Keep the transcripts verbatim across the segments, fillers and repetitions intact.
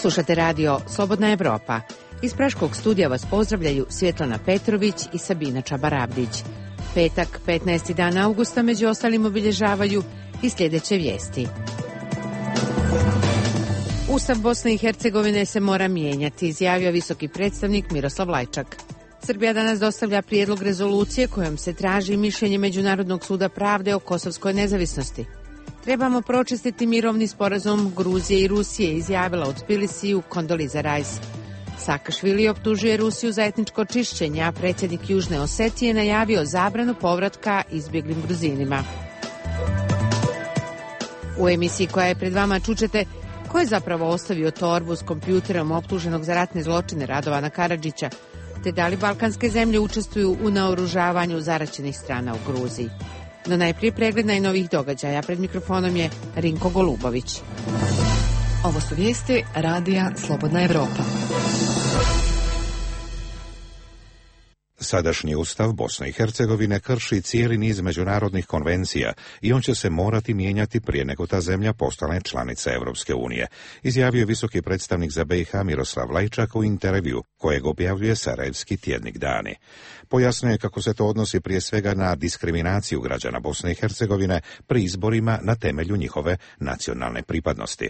Slušate radio Slobodna Evropa. Iz Praškog studija vas pozdravljaju Svjetlana Petrović i Sabina Čabarabdić. Petak, petnaesti dan avgusta, među ostalim obilježavaju i sljedeće vijesti. Ustav Bosne i Hercegovine se mora mijenjati, izjavio visoki predstavnik Miroslav Lajčak. Srbija danas dostavlja prijedlog rezolucije kojom se traži mišljenje Međunarodnog suda pravde o kosovskoj nezavisnosti. Trebamo pročistiti mirovni sporazum Gruzije i Rusije, izjavila u Tbilisiju Kondoliza Rice. Sakašvili optužuje Rusiju za etničko čišćenje, a predsjednik Južne Osetije najavio zabranu povratka izbjeglim Gruzinima. U emisiji koja je pred vama čućete ko je zapravo ostavio torbu s kompjuterom optuženog za ratne zločine Radovana Karadžića, te da li balkanske zemlje učestvuju u naoružavanju zaraćenih strana u Gruziji. No najprije pregled najnovijih događaja. Pred mikrofonom je Rinko Golubović. Ovo su vijesti radija Slobodna Evropa. Sadašnji ustav Bosne i Hercegovine krši cijeli niz međunarodnih konvencija i on će se morati mijenjati prije nego ta zemlja postane članica Europske unije, izjavio visoki predstavnik za B i H Miroslav Lajčak u intervju kojeg objavljuje sarajevski tjednik Dani. Pojasnio je kako se to odnosi prije svega na diskriminaciju građana Bosne i Hercegovine pri izborima na temelju njihove nacionalne pripadnosti.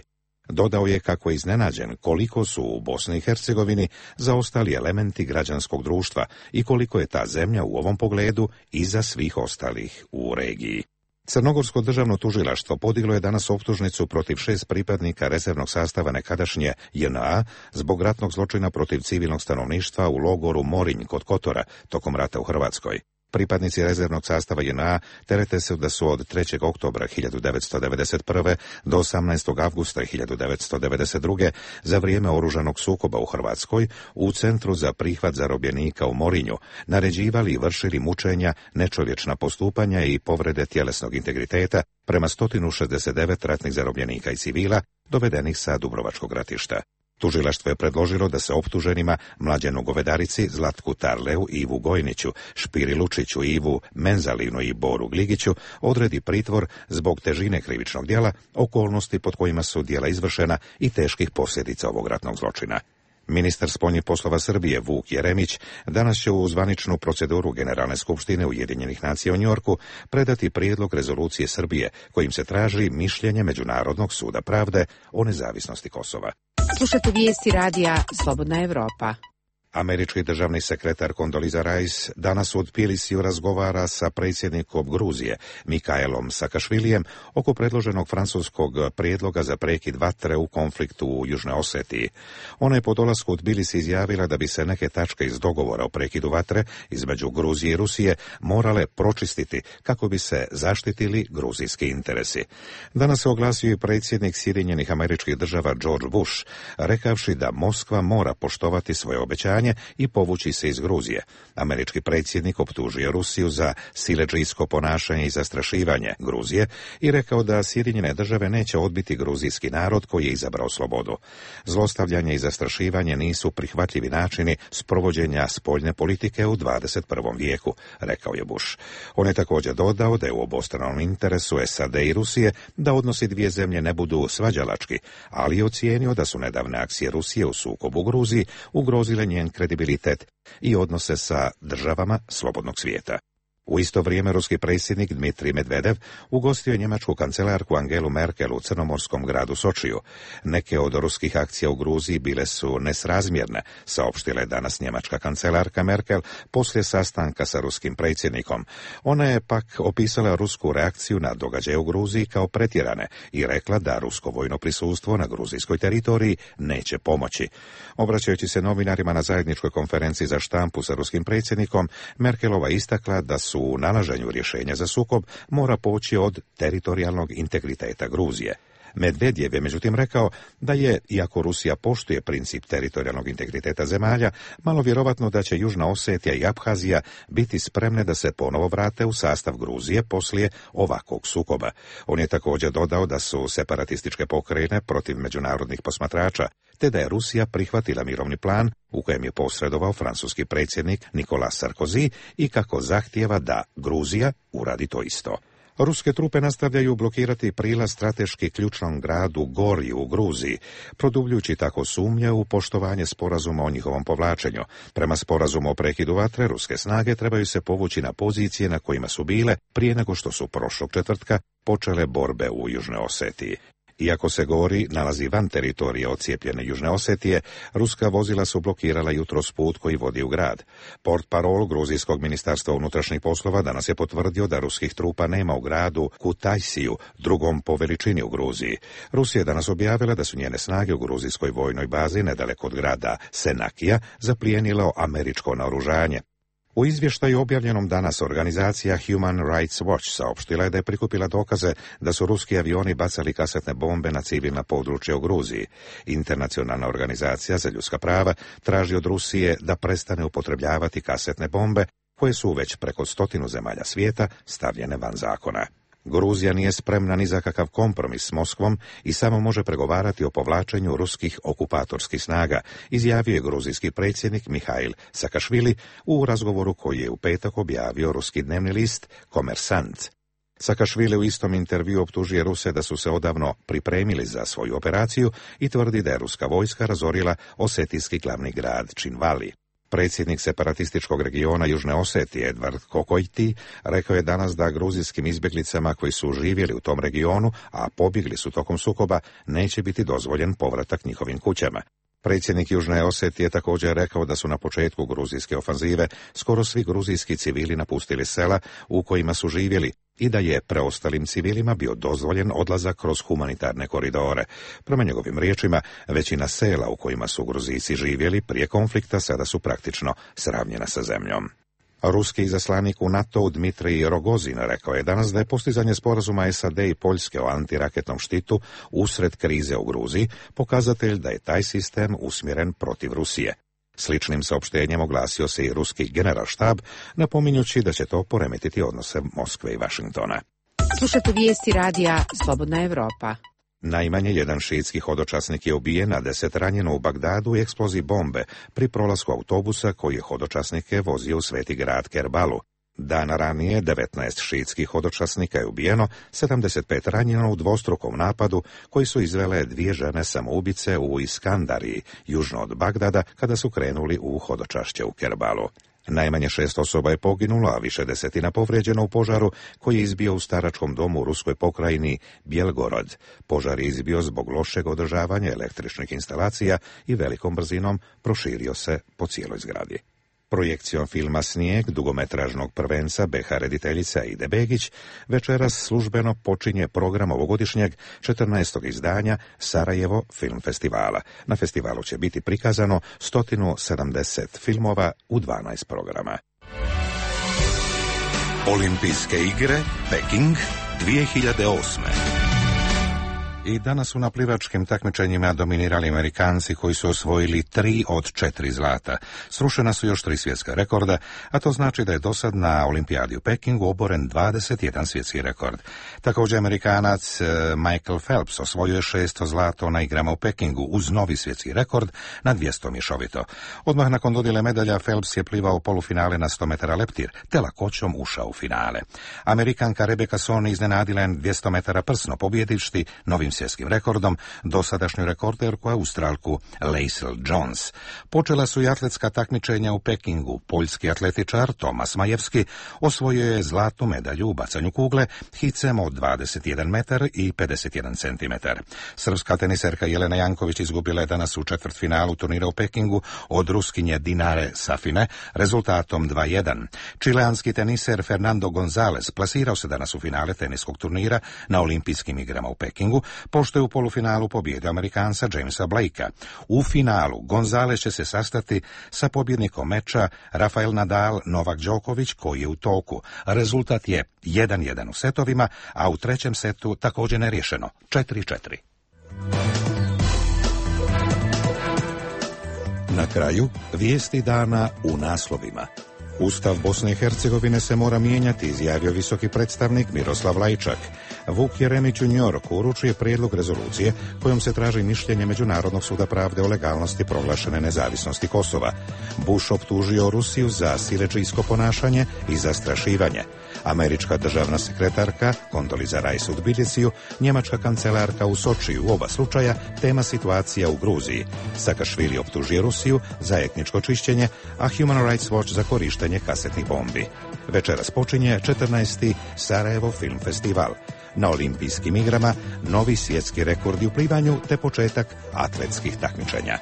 Dodao je kako je iznenađen koliko su u Bosni i Hercegovini zaostali elementi građanskog društva i koliko je ta zemlja u ovom pogledu iza svih ostalih u regiji. Crnogorsko državno tužilaštvo podiglo je danas optužnicu protiv šest pripadnika rezervnog sastava nekadašnje J N A zbog ratnog zločina protiv civilnog stanovništva u logoru Morinj kod Kotora tokom rata u Hrvatskoj. Pripadnici rezervnog sastava J N A terete se da su od trećeg oktobra hiljadu devetsto devedeset prve do osamnaestog avgusta hiljadu devetsto devedeset druge za vrijeme oružanog sukoba u Hrvatskoj u Centru za prihvat zarobljenika u Morinju naređivali i vršili mučenja, nečovječna postupanja i povrede tjelesnog integriteta prema sto šezdeset devet ratnih zarobljenika i civila dovedenih sa Dubrovačkog ratišta. Tužilaštvo je predložilo da se optuženima Mlađenu Govedarici, Zlatku Tarleu, Ivu Gojniću, Špiri Lučiću, Ivu Menzalinu i Boru Gligiću odredi pritvor zbog težine krivičnog djela, okolnosti pod kojima su djela izvršena i teških posljedica ovog ratnog zločina. Ministar spoljnih poslova Srbije Vuk Jeremić danas će u zvaničnu proceduru Generalne skupštine Ujedinjenih nacija u Njorku predati prijedlog rezolucije Srbije kojim se traži mišljenje Međunarodnog suda pravde o nezavisnosti Kosova. Slušate vijesti radija Slobodna Evropa. Američki državni sekretar Kondoliza Rice danas u Tbilisiju razgovara sa predsjednikom Gruzije Mikaelom Sakašvilijem oko predloženog francuskog prijedloga za prekid vatre u konfliktu u Južnoj Osetiji. Ona je po dolasku u Tbilisi izjavila da bi se neke tačke iz dogovora o prekidu vatre između Gruzije i Rusije morale pročistiti kako bi se zaštitili gruzijski interesi. Danas se oglasio i predsjednik Sjedinjenih Američkih Država George Bush, rekavši da Moskva mora poštovati svoje obećanje i povući se iz Gruzije. Američki predsjednik optužio Rusiju za siledžijsko ponašanje i zastrašivanje Gruzije i rekao da Sjedinjene države neće odbiti gruzijski narod koji je izabrao slobodu. Zlostavljanje i zastrašivanje nisu prihvatljivi načini sprovođenja spoljne politike u dvadeset prvom vijeku, rekao je Bush. On je također dodao da je u obostranom interesu S A D i Rusije da odnosi dvije zemlje ne budu svađalački, ali je ocijenio da su nedavne akcije Rusije u sukobu u Gruziji ugrozile njen kredibilitet i odnose sa državama slobodnog svijeta. U isto vrijeme ruski predsjednik Dmitrij Medvedev ugostio je njemačku kancelarku Angelu Merkel u crnomorskom gradu Sočiju. Neke od ruskih akcija u Gruziji bile su nesrazmjerne, saopštila je danas njemačka kancelarka Merkel poslije sastanka sa ruskim predsjednikom. Ona je pak opisala rusku reakciju na događaje u Gruziji kao pretjerane i rekla da rusko vojno prisustvo na gruzijskoj teritoriji neće pomoći. Obraćajući se novinarima na zajedničkoj konferenciji za štampu sa ruskim predsjednikom, Merkelova istakla da su u nalaženju rješenja za sukob mora poći od teritorijalnog integriteta Gruzije. Medvedjev je međutim rekao da je, iako Rusija poštuje princip teritorijalnog integriteta zemalja, malo vjerovatno da će Južna Osetija i Abhazija biti spremne da se ponovo vrate u sastav Gruzije poslije ovakvog sukoba. On je također dodao da su separatističke pokrajine protiv međunarodnih posmatrača, te da je Rusija prihvatila mirovni plan u kojem je posredovao francuski predsjednik Nicolas Sarkozy i kako zahtijeva da Gruzija uradi to isto. Ruske trupe nastavljaju blokirati prilaz strateški ključnom gradu Gorju u Gruziji, produbljujući tako sumnje u poštovanje sporazuma o njihovom povlačenju. Prema sporazumu o prekidu vatre, ruske snage trebaju se povući na pozicije na kojima su bile prije nego što su prošlog četvrtka počele borbe u Južnoj Osetiji. Iako se Gori nalazi van teritorije odcijepljene Južne Osetije, ruska vozila su blokirala jutros put koji vodi u grad. Portparol Gruzijskog ministarstva unutrašnjih poslova danas je potvrdio da ruskih trupa nema u gradu Kutajsiju, drugom po veličini u Gruziji. Rusija je danas objavila da su njene snage u gruzijskoj vojnoj bazi nedaleko od grada Senakija zaplijenilo američko naoružanje. U izvještaju objavljenom danas organizacija Human Rights Watch saopštila je da je prikupila dokaze da su ruski avioni bacali kasetne bombe na civilna područja u Gruziji. Internacionalna organizacija za ljudska prava traži od Rusije da prestane upotrebljavati kasetne bombe koje su već preko stotinu zemalja svijeta stavljene van zakona. Gruzija nije spremna ni za kakav kompromis s Moskvom i samo može pregovarati o povlačenju ruskih okupatorskih snaga, izjavio je gruzijski predsjednik Mihail Sakašvili u razgovoru koji je u petak objavio ruski dnevni list Komersant. Sakašvili u istom intervju optužuje Ruse da su se odavno pripremili za svoju operaciju i tvrdi da je ruska vojska razorila osetijski glavni grad Činvali. Predsjednik separatističkog regiona Južne Osetije Edvard Kokojti rekao je danas da gruzijskim izbjeglicama koji su živjeli u tom regionu, a pobjegli su tokom sukoba, neće biti dozvoljen povratak njihovim kućama. Predsjednik Južne Osetije također rekao da su na početku gruzijske ofanzive skoro svi gruzijski civili napustili sela u kojima su živjeli i da je preostalim civilima bio dozvoljen odlazak kroz humanitarne koridore. Prema njegovim riječima, većina sela u kojima su Gruzijci živjeli prije konflikta sada su praktično sravnjena sa zemljom. Ruski izaslanik u NATO Dmitrij Rogozin rekao je danas da je postizanje sporazuma S A D i Poljske o antiraketnom štitu usred krize u Gruziji pokazatelj da je taj sistem usmjeren protiv Rusije. Sličnim saopštenjem oglasio se i ruski generalštab, napominjući da će to poremetiti odnose Moskve i Vašingtona. Slušate vijesti radija Slobodna Evropa. Najmanje jedan šiitski hodočasnik je ubijen, a deset ranjeno u Bagdadu u eksploziji bombe pri prolasku autobusa koji je hodočasnike vozio u sveti grad Kerbalu. Dana ranije devetnaest šiitskih hodočasnika je ubijeno, sedamdeset pet ranjeno u dvostrukom napadu koji su izvele dvije žene samoubice u Iskandariji, južno od Bagdada, kada su krenuli u hodočašće u Kerbalu. Najmanje šest osoba je poginulo, a više desetina povrijeđeno u požaru koji je izbio u staračkom domu u ruskoj pokrajini Bjelgorod. Požar je izbio zbog lošeg održavanja električnih instalacija i velikom brzinom proširio se po cijeloj zgradi. Projekcijom filma Snijeg, dugometražnog prvenca B H rediteljica Ide Begić, večeras službeno počinje program ovogodišnjeg četrnaestog izdanja Sarajevo film festivala. Na festivalu će biti prikazano sto sedamdeset filmova u dvanaest programa. Olimpijske igre Peking dvije hiljade osme. I danas su na plivačkim takmičenjima dominirali Amerikanci koji su osvojili tri od četiri zlata. Srušena su još tri svjetska rekorda, a to znači da je dosad na olimpijadi u Pekingu oboren dvadeset jedan svjetski rekord. Također Amerikanac Michael Phelps osvojio je šesto zlato na igrama u Pekingu uz novi svjetski rekord na dvjesto mješovito. Odmah nakon dodjele medalja Phelps je plivao polufinale na sto metara leptir, te lakoćom ušao u finale. Amerikanka Rebecca Soni iznenadila je dvjesto metara prsno pobjedišti novim svjetskim rekordom dosadašnju rekorderku Australku Leisel Jones. Počela su i atletska takmičenja u Pekingu. Poljski atletičar Tomas Majevski osvojio je zlatnu medalju u bacanju kugle hicem od dvadeset jedan metar i pedeset jedan centimetar. Srpska teniserka Jelena Janković izgubila je danas u četvrtfinalu turnira u Pekingu od Ruskinje Dinare Safine rezultatom dva jedan. Čileanski teniser Fernando González plasirao se danas u finale teniskog turnira na olimpijskim igrama u Pekingu, pošto je u polufinalu pobjedio Amerikanca Jamesa Blakea. U finalu González će se sastati sa pobjednikom meča Rafael Nadal Novak Đoković koji je u toku. Rezultat je jedan jedan u setovima, a u trećem setu također neriješeno četiri četiri. Na kraju vijesti dana u naslovima. Ustav Bosne i Hercegovine se mora mijenjati, izjavio visoki predstavnik Miroslav Lajčak. Vuk Jeremić u Njorku uručuje prijedlog rezolucije kojom se traži mišljenje Međunarodnog suda pravde o legalnosti proglašene nezavisnosti Kosova. Bush optužio Rusiju za siledžijsko ponašanje i zastrašivanje. Američka državna sekretarka Condoleezza Rice u Tbilisiju, njemačka kancelarka u Sočiju, u oba slučaja tema situacija u Gruziji. Sakašvili optužio Rusiju za etničko čišćenje, a Human Rights Watch za korištenje kasetnih bombi. Večeras počinje četrnaesti Sarajevo Film Festival. Na olimpijskim igrama novi svjetski rekordi u plivanju te početak atletskih takmičenja.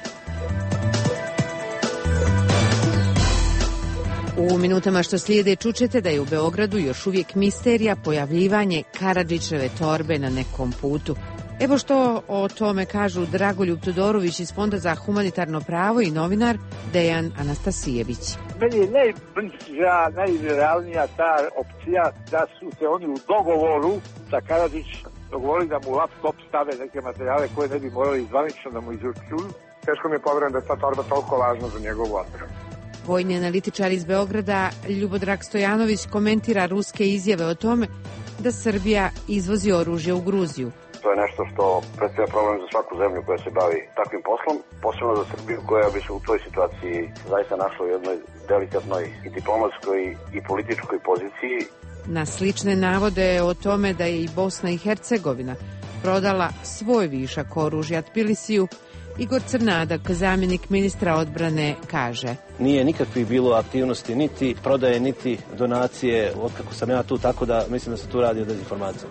U minutama što slijede čućete da je u Beogradu još uvijek misterija pojavljivanje Karadžićeve torbe na nekom putu. Evo što o tome kažu Dragoljub Todorović iz Fonda za humanitarno pravo i novinar Dejan Anastasijević. Meni je najbliža, najrealnija ta opcija da su se oni u dogovoru sa Karadžić dogovorili da mu laptop stave neke materijale koje ne bi morali zvanično da mu izručuju. Teško mi je povjerujem da je ta torba toliko važna za njegovu odbranu. Vojni analitičar iz Beograda Ljubodrag Stojanović komentira ruske izjave o tome da Srbija izvozi oružje u Gruziju. To je nešto što predstavlja problem za svaku zemlju koja se bavi takvim poslom, posebno za Srbiju koja bi se u toj situaciji zaista našla u jednoj delikatnoj i diplomatskoj i političkoj poziciji. Na slične navode o tome da je i Bosna i Hercegovina prodala svoj višak oružja Tbilisiju, Igor Crnadak, zamjenik ministra odbrane, kaže: Nije nikakvih bilo aktivnosti, niti prodaje, niti donacije, otkako sam ja tu, tako da mislim da se tu radi o dezinformaciji.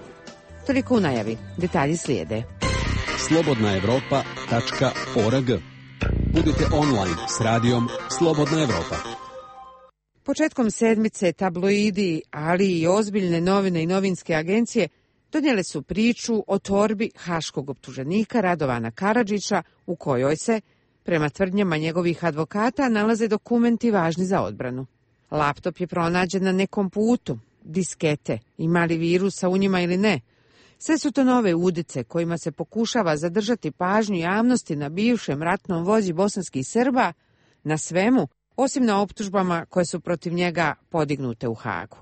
Toliko u najavi. Detalji slijede. slobodna evropa tačka org. Budite online s radijom Slobodna Evropa. Početkom sedmice tabloidi, ali i ozbiljne novine i novinske agencije donijele su priču o torbi haškog optuženika Radovana Karadžića u kojoj se, prema tvrdnjama njegovih advokata, nalaze dokumenti važni za odbranu. Laptop je pronađen na nekom putu, diskete, ima li virusa u njima ili ne. Sve su to nove udice kojima se pokušava zadržati pažnju javnosti na bivšem ratnom vođi bosanskih Srba, na svemu, osim na optužbama koje su protiv njega podignute u Hagu.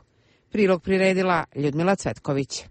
Prilog priredila Ljudmila Cvetković.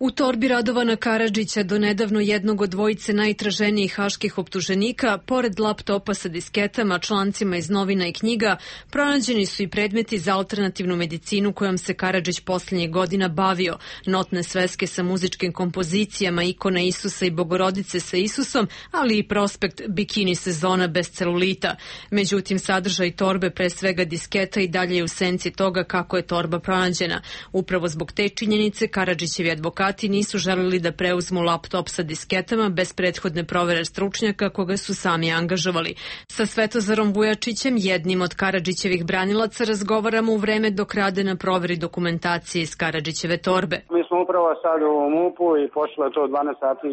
U torbi Radovana Karadžića, do nedavno jednog od dvojice najtraženijih haških optuženika, pored laptopa sa disketama, člancima iz novina i knjiga, pronađeni su i predmeti za alternativnu medicinu kojom se Karadžić posljednjih godina bavio, notne sveske sa muzičkim kompozicijama, ikone Isusa i Bogorodice sa Isusom, ali i prospekt bikini sezona bez celulita. Međutim, sadržaj torbe, pre svega disketa, i dalje je u senci toga kako je torba pronađena. Upravo zbog te činjenice Karadžićevi advokati nisu želeli da preuzmu laptop sa disketama bez prethodne provere stručnjaka koga su sami angažovali. Sa Svetozarom Vujačićem, jednim od Karadžićevih branilaca, razgovaramo u vreme dok rade na proveri dokumentacije iz Karadžićeve torbe. Mi smo upravo sad u MUP-u i počelo je to u dvanaest sati,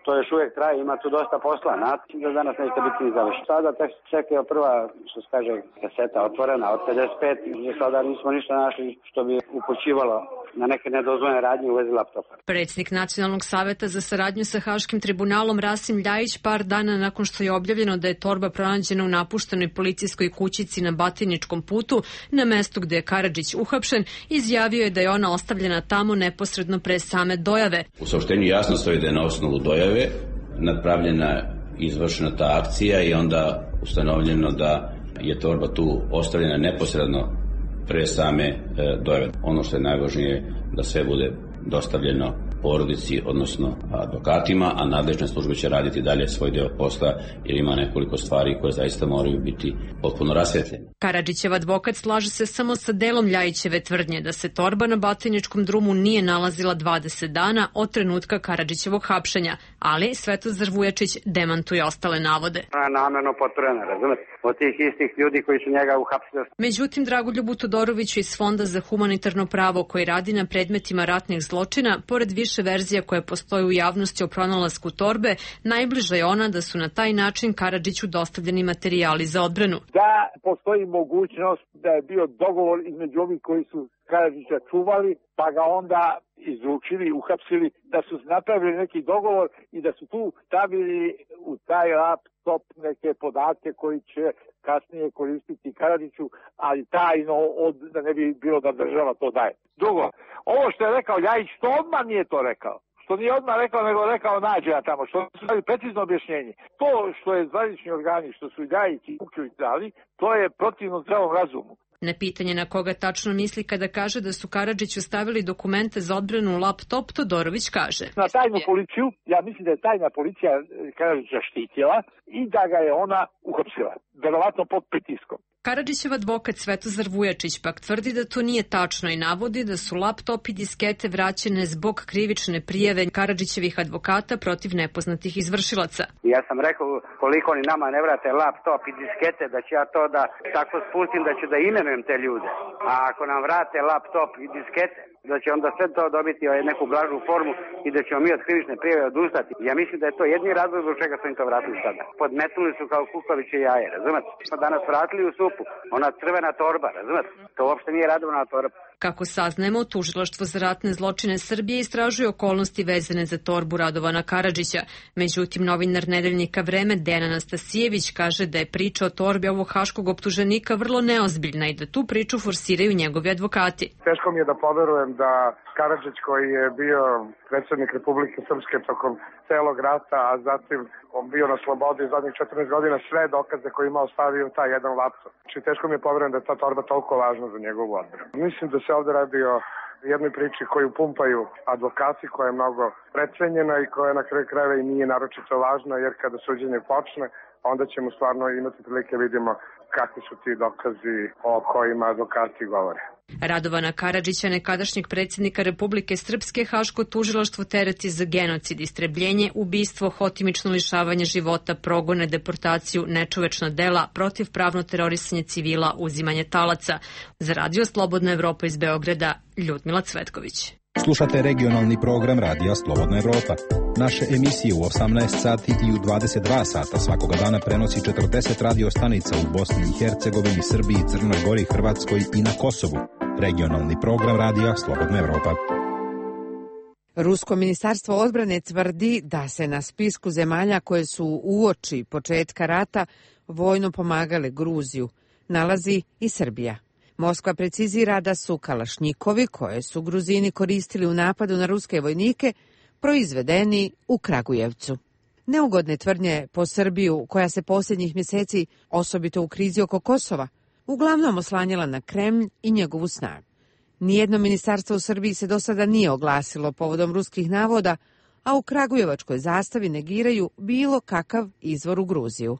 to još uvijek traje, ima tu dosta posla, znate, da danas neće biti ni završeno. Sada tek čekaju prva, što se kaže, kaseta otvorena od pedeset pet, i sada nismo ništa našli što bi upućivalo na neke nedozvoljene radnje u vezi laptopa. Predsjednik Nacionalnog saveta za saradnju sa Haškim tribunalom Rasim Ljajić, par dana nakon što je objavljeno da je torba pronađena u napuštenoj policijskoj kućici na Batiničkom putu, na mestu gde je Karadžić uhapšen, izjavio je da je ona ostavljena tamo neposredno pre same dojave. U saopštenju jasno stoji da je na osnovu dojave napravljena, izvršena ta akcija i onda ustanovljeno da je torba tu ostavljena neposredno pre same e, dojave. Ono što je najvažnije da sve bude dostavljeno porodici, odnosno advokatima, a nadležne službe će raditi dalje svoj deo posla jer ima nekoliko stvari koje zaista moraju biti potpuno rasvetljene. Karadžićev advokat slaže se samo sa delom Ljajićeve tvrdnje da se torba na Batiničkom drumu nije nalazila dvadeset dana od trenutka Karadžićevog hapšenja, ali Svetozar Vujačić demantuje ostale navode. Namerno potvrđeno, razumete, od tih istih ljudi koji su njega uhapsili. Međutim, Dragoljubu Todoroviću iz Fonda za humanitarno pravo, koji radi na predmetima ratnih zločina, pored više verzija koje postoje u javnosti o pronalasku torbe, najbliža je ona da su na taj način Karadžiću dostavljeni materijali za odbranu. Da postoji mogućnost da je bio dogovor između ovih koji su Karadžića čuvali, pa ga onda izručili, uhapsili, da su napravili neki dogovor i da su tu stavili u taj laptop neke podatke koji će kasnije koristiti Karadžiću, ali tajno, od, da ne bi bilo da država to daje. Drugo, ovo što je rekao Ljajić, to odmah nije to rekao. što nije odmah rekao, nego rekao nađe ja tamo, što su dali precizno objašnjenje. To što je zvanični organi, što su i Ljajić i Vukić dali, to je protivno zdravom razumu. Na pitanje na koga tačno misli kada kaže da su Karadžiću stavili dokumente za odbranu u laptop, Todorović kaže. Na tajnu policiju, ja mislim da je tajna policija Karadžića štitila i da ga je ona uhapsila, verovatno pod pritiskom. Karadžićev advokat Svetozar Vujačić pak tvrdi da to nije tačno i navodi da su laptop i diskete vraćene zbog krivične prijave Karadžićevih advokata protiv nepoznatih izvršilaca. Ja sam rekao koliko oni nama ne vrate laptop i diskete, da ću ja to da tako spustim da ću da imenujem te ljude. A ako nam vrate laptop i diskete, da će onda sve to dobiti neku blažu formu i da ćemo mi od krivične prijave odustati. Ja mislim da je to jedini razlog zbog čega su im to vratili sada. Podmetnuli su kao kukaviće jaje, razumete? Smo danas vratili u supu, ona crvena torba, razumete? To uopšte nije radovna torba. Kako saznajemo, Tužilaštvo za ratne zločine Srbije istražuje okolnosti vezane za torbu Radovana Karadžića. Međutim, novinar nedeljnika Vreme Dejan Anastasijević kaže da je priča o torbi ovog haškog optuženika vrlo neozbiljna i da tu priču forsiraju njegovi advokati. Teško mi je da poverujem da Karadžić, koji je bio predsjednik Republike Srpske tokom celog rata, a zatim on bio na slobodi zadnjih četrnaest godina, sve dokaze koje ima ostavio taj jedan laptop. Znači, teško mi je poverujem da je ta torba toliko važna za njegovu odbranu. Mislim da se ovdje radi o jednoj priči koju pumpaju advokati, koja je mnogo precenjena i koja na kraju krajeva i nije naročito važna, jer kada suđenje počne, onda ćemo stvarno imati prilike vidimo kakvi su ti dokazi o kojima advokati govore. Radovana Karadžića, nekadašnjeg predsjednika Republike Srpske, haško tužilaštvo tereti za genocid, istrebljenje, ubistvo, hotimično lišavanje života, progone, deportaciju, nečovečna dela, protivpravno terorisanje civila, uzimanje talaca. Za Radio Slobodna Evropa iz Beograda, Ljudmila Cvetković. Slušate regionalni program Radija Slobodna Evropa. Naše emisije u osamnaest sati i u dvadeset dva sata svakoga dana prenosi četrdeset radio stanica u Bosni i Hercegovini, Srbiji, Crnoj Gori, Hrvatskoj i na Kosovu. Regionalni program Radija Slobodna Evropa. Rusko ministarstvo odbrane tvrdi da se na spisku zemalja koje su uoči početka rata vojno pomagale Gruziju nalazi i Srbija. Moskva precizira da su kalašnjikovi, koje su Gruzini koristili u napadu na ruske vojnike, proizvedeni u Kragujevcu. Neugodne tvrdnje po Srbiju, koja se posljednjih mjeseci, osobito u krizi oko Kosova, uglavnom oslanjala na Kremlj i njegovu snagu. Nijedno ministarstvo u Srbiji se do sada nije oglasilo povodom ruskih navoda, a u Kragujevačkoj zastavi negiraju bilo kakav izvor u Gruziju.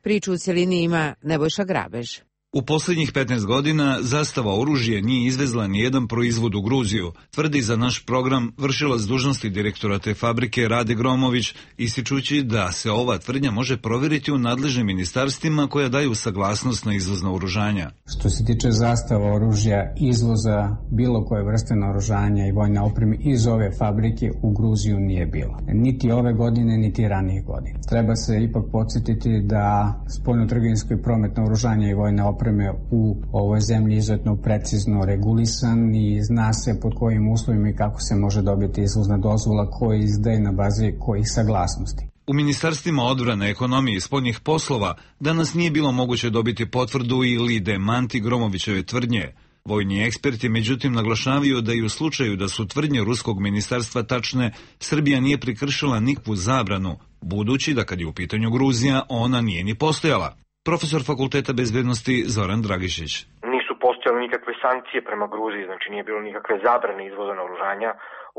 Priču u cjelini ima Nebojša Grabež. U posljednjih petnaest godina zastava oružje nije izvezla ni jedan proizvod u Gruziju, tvrdi za naš program vršilac dužnosti direktora te fabrike Rade Gromović, ističući da se ova tvrdnja može provjeriti u nadležnim ministarstvima koja daju saglasnost na izvoz naoružanja. Što se tiče zastava oružja, izvoza bilo koje vrste naoružanja i vojne opreme iz ove fabrike u Gruziju nije bilo. Niti ove godine, niti ranije godine. Treba se ipak podsjetiti da spoljnotrgovinski promet naoružanja i vojne opreme u ovoj zemlji izuzetno precizno regulisan i zna se pod kojim uslovima i kako se može dobiti izvozna dozvola koja izdaje na bazi kojih saglasnosti. U ministarstvima odbrane, ekonomije i spoljnih poslova danas nije bilo moguće dobiti potvrdu ili demanti Gromovićeve tvrdnje. Vojni eksperti međutim naglašavaju da i u slučaju da su tvrdnje ruskog ministarstva tačne, Srbija nije prekršila nikakvu zabranu, budući da kad je u pitanju Gruzija, ona nije ni postojala. Profesor Fakulteta bezbednosti Zoran Dragišić. Nisu postojale nikakve sankcije prema Gruziji, znači nije bilo nikakve zabrane izvoza naoružanja.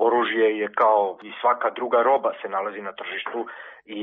Oružje je kao i svaka druga roba se nalazi na tržištu i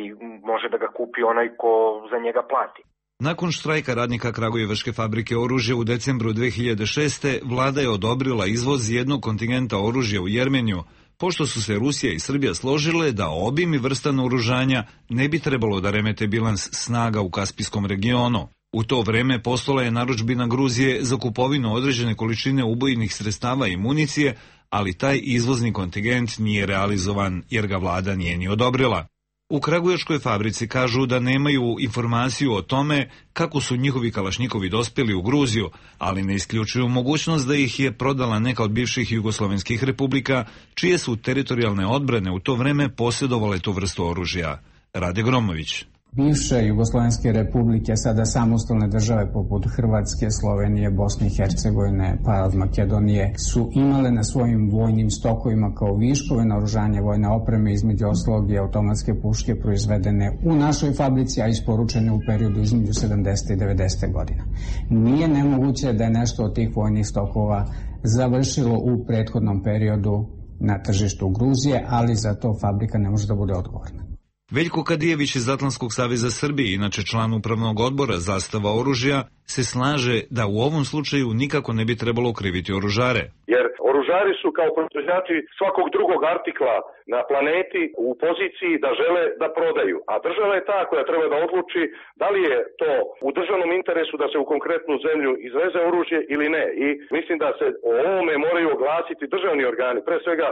može da ga kupi onaj ko za njega plati. Nakon štrajka radnika Kragujevačke fabrike oružja u decembru dve hiljade šeste. vlada je odobrila izvoz jednog kontingenta oružja u Jermeniju, pošto su se Rusija i Srbija složile da obim i vrsta naoružanja ne bi trebalo da remete bilans snaga u Kaspijskom regionu. U to vreme postojala je narudžbina Gruzije za kupovinu određene količine ubojnih sredstava i municije, ali taj izvozni kontingent nije realizovan jer ga vlada nije ni odobrila. U Kragujevačkoj fabrici kažu da nemaju informaciju o tome kako su njihovi kalašnjikovi dospjeli u Gruziju, ali ne isključuju mogućnost da ih je prodala neka od bivših jugoslovenskih republika, čije su teritorijalne odbrane u to vreme posjedovale tu vrstu oružja. Rade Gromović. Bivše jugoslovenske republike, sada samostalne države poput Hrvatske, Slovenije, Bosne i Hercegovine, pa od Makedonije, su imale na svojim vojnim stokovima kao viškove naoružanja vojne opreme, između ostalog i automatske puške proizvedene u našoj fabrici, a isporučene u periodu između sedamdesete i devedesete godina. Nije nemoguće da je nešto od tih vojnih stokova završilo u prethodnom periodu na tržištu Gruzije, ali za to fabrika ne može da bude odgovorna. Veljko Kadijević iz Atlantskog saveza Srbije, inače član upravnog odbora Zastava oružja, se slaže da u ovom slučaju nikako ne bi trebalo kriviti oružare. Jer oružari su kao proizvođači svakog drugog artikla na planeti u poziciji da žele da prodaju. A država je ta koja treba da odluči da li je to u državnom interesu da se u konkretnu zemlju izveze oružje ili ne. I mislim da se o ovome moraju oglasiti državni organi, pre svega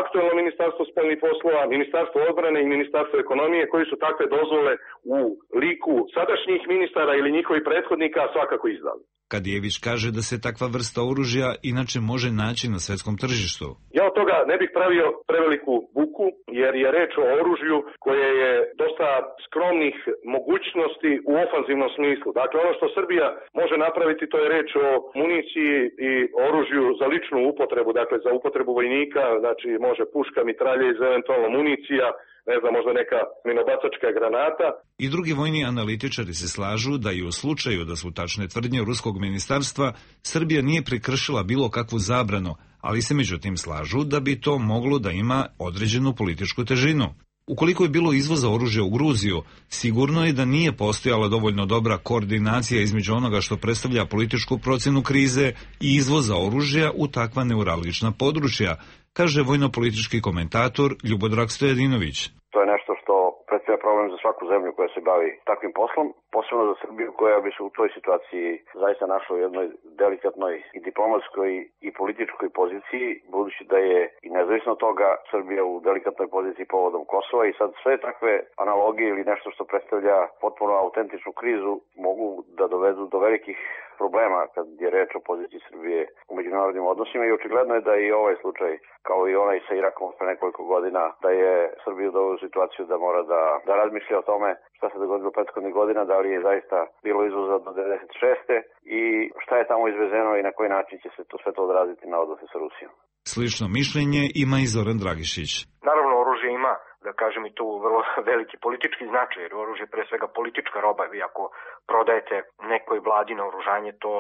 aktuelno ministarstvo spoljnih poslova, ministarstvo odbrane i ministarstvo ekonomije, koji su takve dozvole u liku sadašnjih ministara ili njihovih prethodnika svakako izdali. Kadijević kaže da se takva vrsta oružja inače može naći na svetskom tržištu. Ja od toga ne bih pravio preveliku buku, jer je reč o oružju koje je dosta skromnih mogućnosti u ofanzivnom smislu. Dakle, ono što Srbija može napraviti, to je reč o municiji i oružju za ličnu upotrebu, dakle za upotrebu vojnika, znači može puška, mitralje i eventualno municija, ne znam, možda neka minobacačka granata. I drugi vojni analitičari se slažu da i u slučaju da su tačne tvrdnje ruskog ministarstva, Srbija nije prekršila bilo kakvu zabranu, ali se međutim slažu da bi to moglo da ima određenu političku težinu. Ukoliko je bilo izvoza oružja u Gruziju, sigurno je da nije postojala dovoljno dobra koordinacija između onoga što predstavlja političku procenu krize i izvoza oružja u takva neuralgična područja, kaže vojno-politički komentator Ljubodrag Stojadinović. To je nešto što predstavlja problem za svaku zemlju koja se bavi takvim poslom, posebno za Srbiju koja bi se u toj situaciji zaista našla u jednoj delikatnoj i diplomatskoj i političkoj poziciji, budući da je i nezavisno od toga Srbija u delikatnoj poziciji povodom Kosova i sad sve takve analogije ili nešto što predstavlja potpuno autentičnu krizu mogu da dovedu do velikih problema kad je reč o poziciji Srbije u međunarodnim odnosima i očigledno je da i ovaj slučaj, kao i onaj sa Irakom pre nekoliko godina, da je Srbiju doveo u situaciju da mora da, da razmišlja o tome šta se dogodilo prethodnih godina, da li je zaista bilo izvoza do devedeset šeste i šta je tamo izvezeno i na koji način će se to sve to odraziti na odnose sa Rusijom. Slično mišljenje ima i Zoran Dragišić. Naravno, oružje ima, da kažem i tu, vrlo veliki politički značaj, jer oružje je pre svega politička roba. Vi ako prodajete nekoj vladi na oružanje, to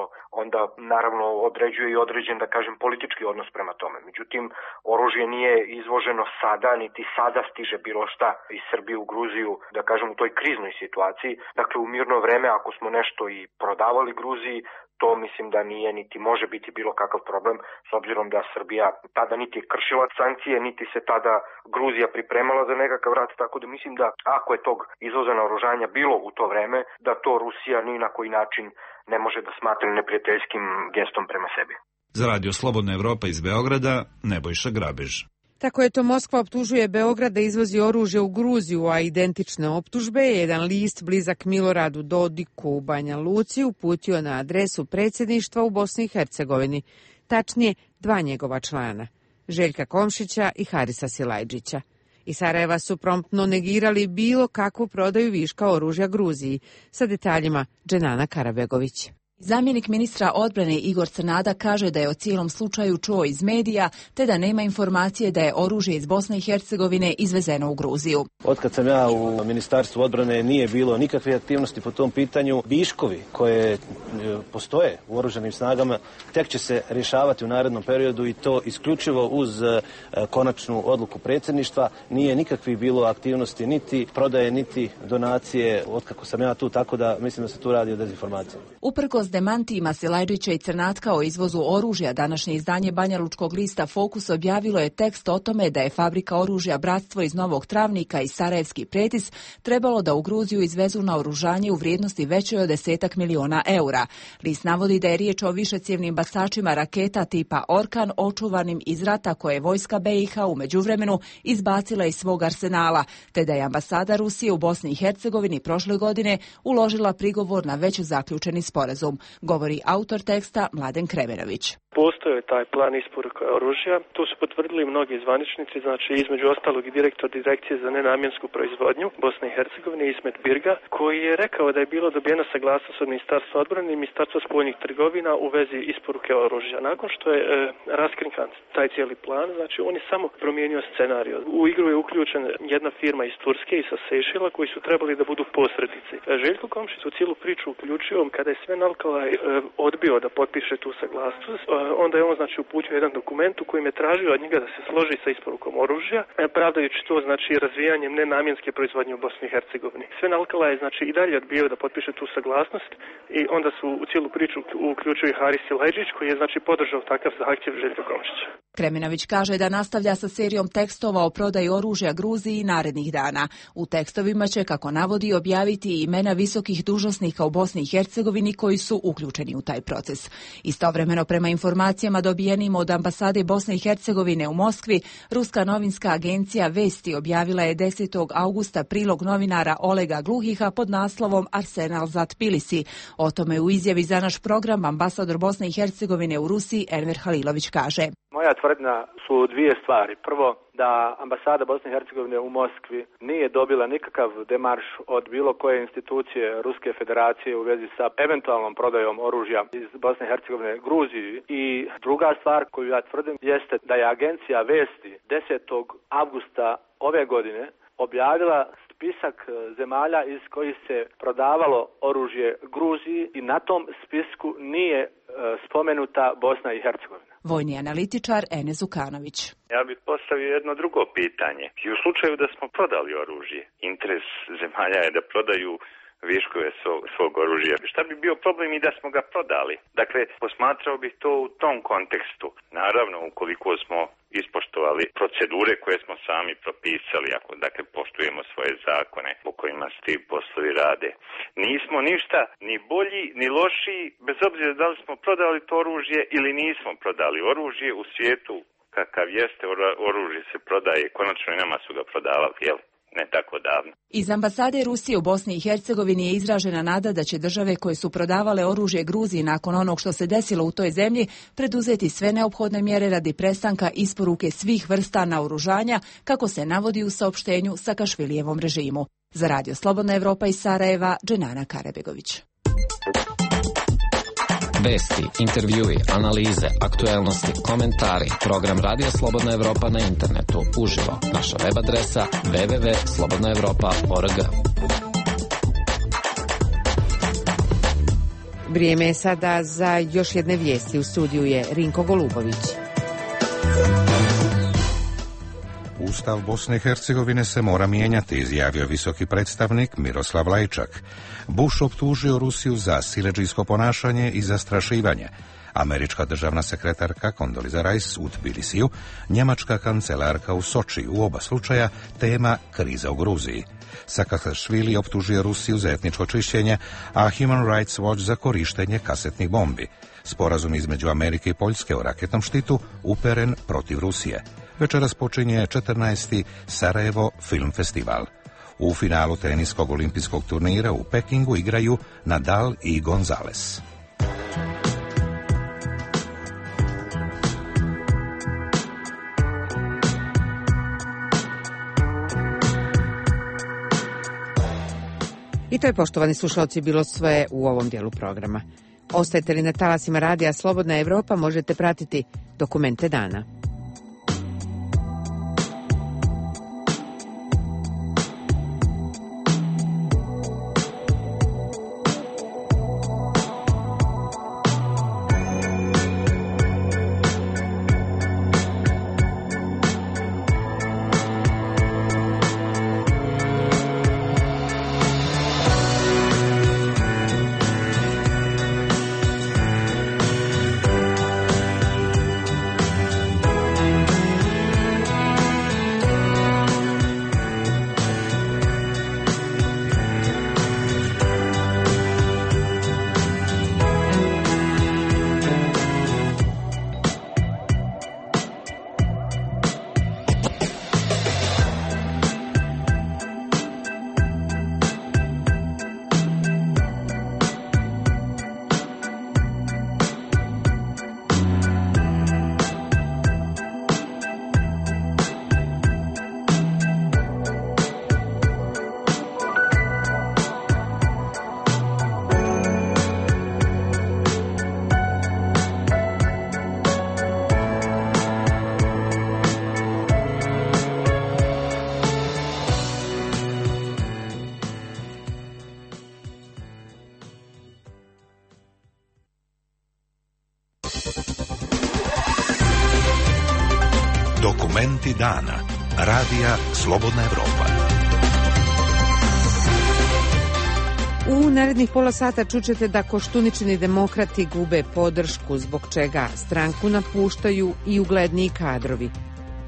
onda naravno određuje i određen, da kažem, politički odnos prema tome. Međutim, oružje nije izvoženo sada, niti sada stiže bilo šta iz Srbije u Gruziju, da kažem, u toj kriznoj situaciji. Dakle, u mirno vreme, ako smo nešto i prodavali Gruziji, to mislim da nije niti može biti bilo kakav problem, s obzirom da Srbija tada niti je kršila sankcije, niti se tada Gruzija pripremala za nekakav rat, tako da mislim da ako je tog izvoza naoružanja bilo u to vreme, da to Rusija ni na koji način ne može da smatra neprijateljskim gestom prema sebi. Za Radio Slobodna Evropa iz Beograda, Nebojša Grabež. Tako je to Moskva optužuje Beograd da izvozi oružje u Gruziju, a identične optužbe je jedan list blizak Miloradu Dodiku u Banja Luci uputio na adresu predsjedništva u Bosni i Hercegovini, tačnije dva njegova člana, Željka Komšića i Harisa Silajdžića. Iz Sarajeva su promptno negirali bilo kakvu prodaju viška oružja Gruziji, sa detaljima Dženana Karabegović. Zamjenik ministra odbrane Igor Crnada kaže da je o cijelom slučaju čuo iz medija, te da nema informacije da je oružje iz Bosne i Hercegovine izvezeno u Gruziju. Otkad sam ja u Ministarstvu odbrane nije bilo nikakve aktivnosti po tom pitanju. Viškovi koje postoje u oružanim snagama tek će se rješavati u narednom periodu i to isključivo uz konačnu odluku predsjedništva. Nije nikakvih bilo aktivnosti, niti prodaje, niti donacije otkako sam ja tu, tako da mislim da se tu radi o dezinformaciji. Uprkos demantijima Silajdžića i Crnatka o izvozu oružja, današnje izdanje banjalučkog lista Fokus objavilo je tekst o tome da je fabrika oružja Bratstvo iz Novog Travnika i Sarajevski Pretis trebalo da u Gruziju izvezu naoružanje u vrijednosti većoj od desetak miliona eura. List navodi da je riječ o višecjevnim bacačima raketa tipa Orkan očuvanim iz rata koje je vojska B i H u međuvremenu izbacila iz svog arsenala, te da je ambasada Rusije u Bosni i Hercegovini prošle godine uložila prigovor na već zaključeni sporazum, govori autor teksta Mladen Kremenović. postojao je taj plan isporuke oružja. To su potvrdili mnogi zvaničnici, znači između ostalog i direktor Direkcije za nenamjensku proizvodnju Bosne i Hercegovine Ismet Birga, koji je rekao da je bilo dobijena saglasnost od Ministarstva odbrane i Ministarstva spoljnih trgovina u vezi isporuke oružja. Nakon što je e, raskrinkan taj cijeli plan, znači on je samo promijenio scenarij. U igru je uključen jedna firma iz Turske i sa Sejšela koji su trebali da budu posrednici. Željko Komšić u cijelu priču uključio kada je Sven Alkalaj e, odbio da potpiše tu saglasnost, e, onda je on znači uputio jedan dokument u kojem je tražio od njega da se složi sa isporukom oružja, e, pravdajući to znači razvijanjem nenamjenske proizvodnje u Bosni i Hercegovini. Sven Alkalaj je znači i dalje odbio da potpiše tu saglasnost i onda su u cijelu priču uključio i Haris Silajdžić koji je znači podržao takav zahtjev Željka Komšića. Kreminović kaže da nastavlja sa serijom tekstova o prodaji oružja Gruziji narednih dana. U tekstovima će, kako navodi, objaviti imena visokih dužnosnika u Bosni i Hercegovini koji su uključeni u taj proces. Istovremeno, prema informacijama dobijenim od ambasade Bosne i Hercegovine u Moskvi, ruska novinska agencija Vesti objavila je desetog augusta prilog novinara Olega Gluhiha pod naslovom Arsenal za Tbilisi. O tome u izjavi za naš program ambasador Bosne i Hercegovine u Rusiji Enver Halilović kaže: Moja tvrdnja su dvije stvari. Prvo, da ambasada Bosne i Hercegovine u Moskvi nije dobila nikakav demarš od bilo koje institucije Ruske federacije u vezi sa eventualnom prodajom oružja iz Bosne i Hercegovine Gruziji. I druga stvar koju ja tvrdim jeste da je agencija Vesti desetog avgusta ove godine objavila spisak zemalja iz kojih se prodavalo oružje Gruziji i na tom spisku nije e, spomenuta Bosna i Hercegovina. Vojni analitičar Enes Ukanović. Ja bih postavio jedno drugo pitanje. I u slučaju da smo prodali oružje, interes zemalja je da prodaju viškove svog, svog oružja. Šta bi bio problem i da smo ga prodali? Dakle, posmatrao bih to u tom kontekstu. Naravno, ukoliko smo ispoštovali procedure koje smo sami propisali, ako dakle poštujemo svoje zakone po kojima se ti poslovi rade. Nismo ništa ni bolji ni lošiji, bez obzira da li smo prodali to oružje ili nismo prodali oružje u svijetu kakav jeste, oružje se prodaje, konačno i nama su ga prodavali, jel? Ne tako davno. Iz ambasade Rusije u Bosni i Hercegovini je izražena nada da će države koje su prodavale oružje Gruziji nakon onog što se desilo u toj zemlji preduzeti sve neophodne mjere radi prestanka isporuke svih vrsta naoružanja, kako se navodi u saopštenju Sakašvilijevom režimu. Za Radio Slobodna Evropa iz Sarajeva, Dženana Karabegović. Vesti, intervjui, analize, aktuelnosti, komentari. Program Radio Slobodna Evropa na internetu. Uživo. Naša web adresa w w w tačka slobodna evropa tačka org. Vrijeme je sada za još jedne vijesti. U studiju je Rinko Golubović. Ustav Bosne i Hercegovine se mora mijenjati, izjavio visoki predstavnik Miroslav Lajčak. Bush optužio Rusiju za siledžijsko ponašanje i zastrašivanje. Američka državna sekretarka Condoleezza Rice u Tbilisiju, njemačka kancelarka u Soči, u oba slučaja tema kriza u Gruziji. Sakašvili optužio Rusiju za etničko čišćenje, a Human Rights Watch za korištenje kasetnih bombi. Sporazum između Amerike i Poljske o raketnom štitu uperen protiv Rusije. Večeras počinje četrnaesti Sarajevo Film Festival. U finalu teniskog olimpijskog turnira u Pekingu igraju Nadal i Gonzales. I to je, poštovani slušalci, bilo sve u ovom dijelu programa. Ostajete li na talasima Radija Slobodna Evropa, možete pratiti Dokumente dana. Dokumenti dana. Radija Slobodna Evropa. U narednih pola sata čućete da Koštuničini demokrati gube podršku, zbog čega stranku napuštaju i ugledniji kadrovi.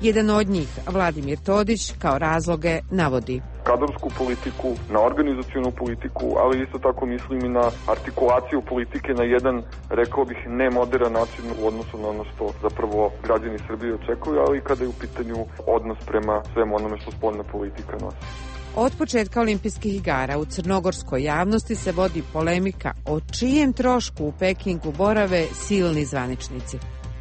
Jedan od njih, Vladimir Todić, kao razloge navodi kadrovsku politiku, na organizacionu politiku, ali isto tako mislim i na artikulaciju politike na jedan, rekao bih, nemoderan način u odnosu na ono što zapravo građani Srbije očekuju, ali i kada je u pitanju odnos prema svemu onome što spoljna politika nosi. Od početka olimpijskih igara u crnogorskoj javnosti se vodi polemika o čijem trošku u Pekingu borave silni zvaničnici.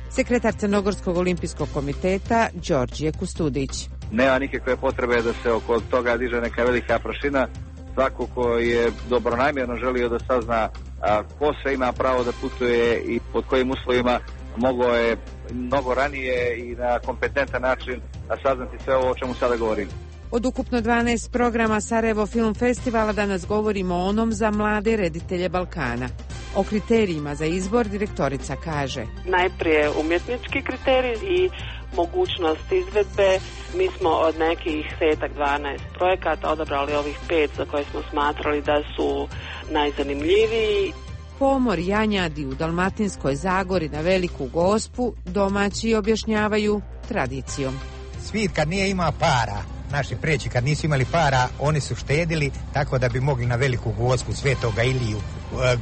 Sekretar Crnogorskog olimpijskog komiteta Đorđije Kustudić. Nema nikakve potrebe da se oko toga diže neka velika prašina. Svako ko je dobronamjerno želio da sazna a, ko sve ima pravo da putuje i pod kojim uslovima, mogao je mnogo ranije i na kompetentan način saznati sve ovo o čemu sada govorim. Od ukupno dvanaest programa Sarajevo Film Festivala danas govorimo o onom za mlade reditelje Balkana. O kriterijima za izbor direktorica kaže: najprije umjetnički kriterij i mogućnost izvedbe. Mi smo od nekih deset dvanaest projekata odabrali ovih pet za koje smo smatrali da su najzanimljiviji. Pomor Janjadi u Dalmatinskoj Zagori na Veliku Gospu domaći objašnjavaju tradicijom. Svit kad nije ima para, naši preći kad nisu imali para, oni su štedili tako da bi mogli na Veliku Gospu, Svetoga Iliju,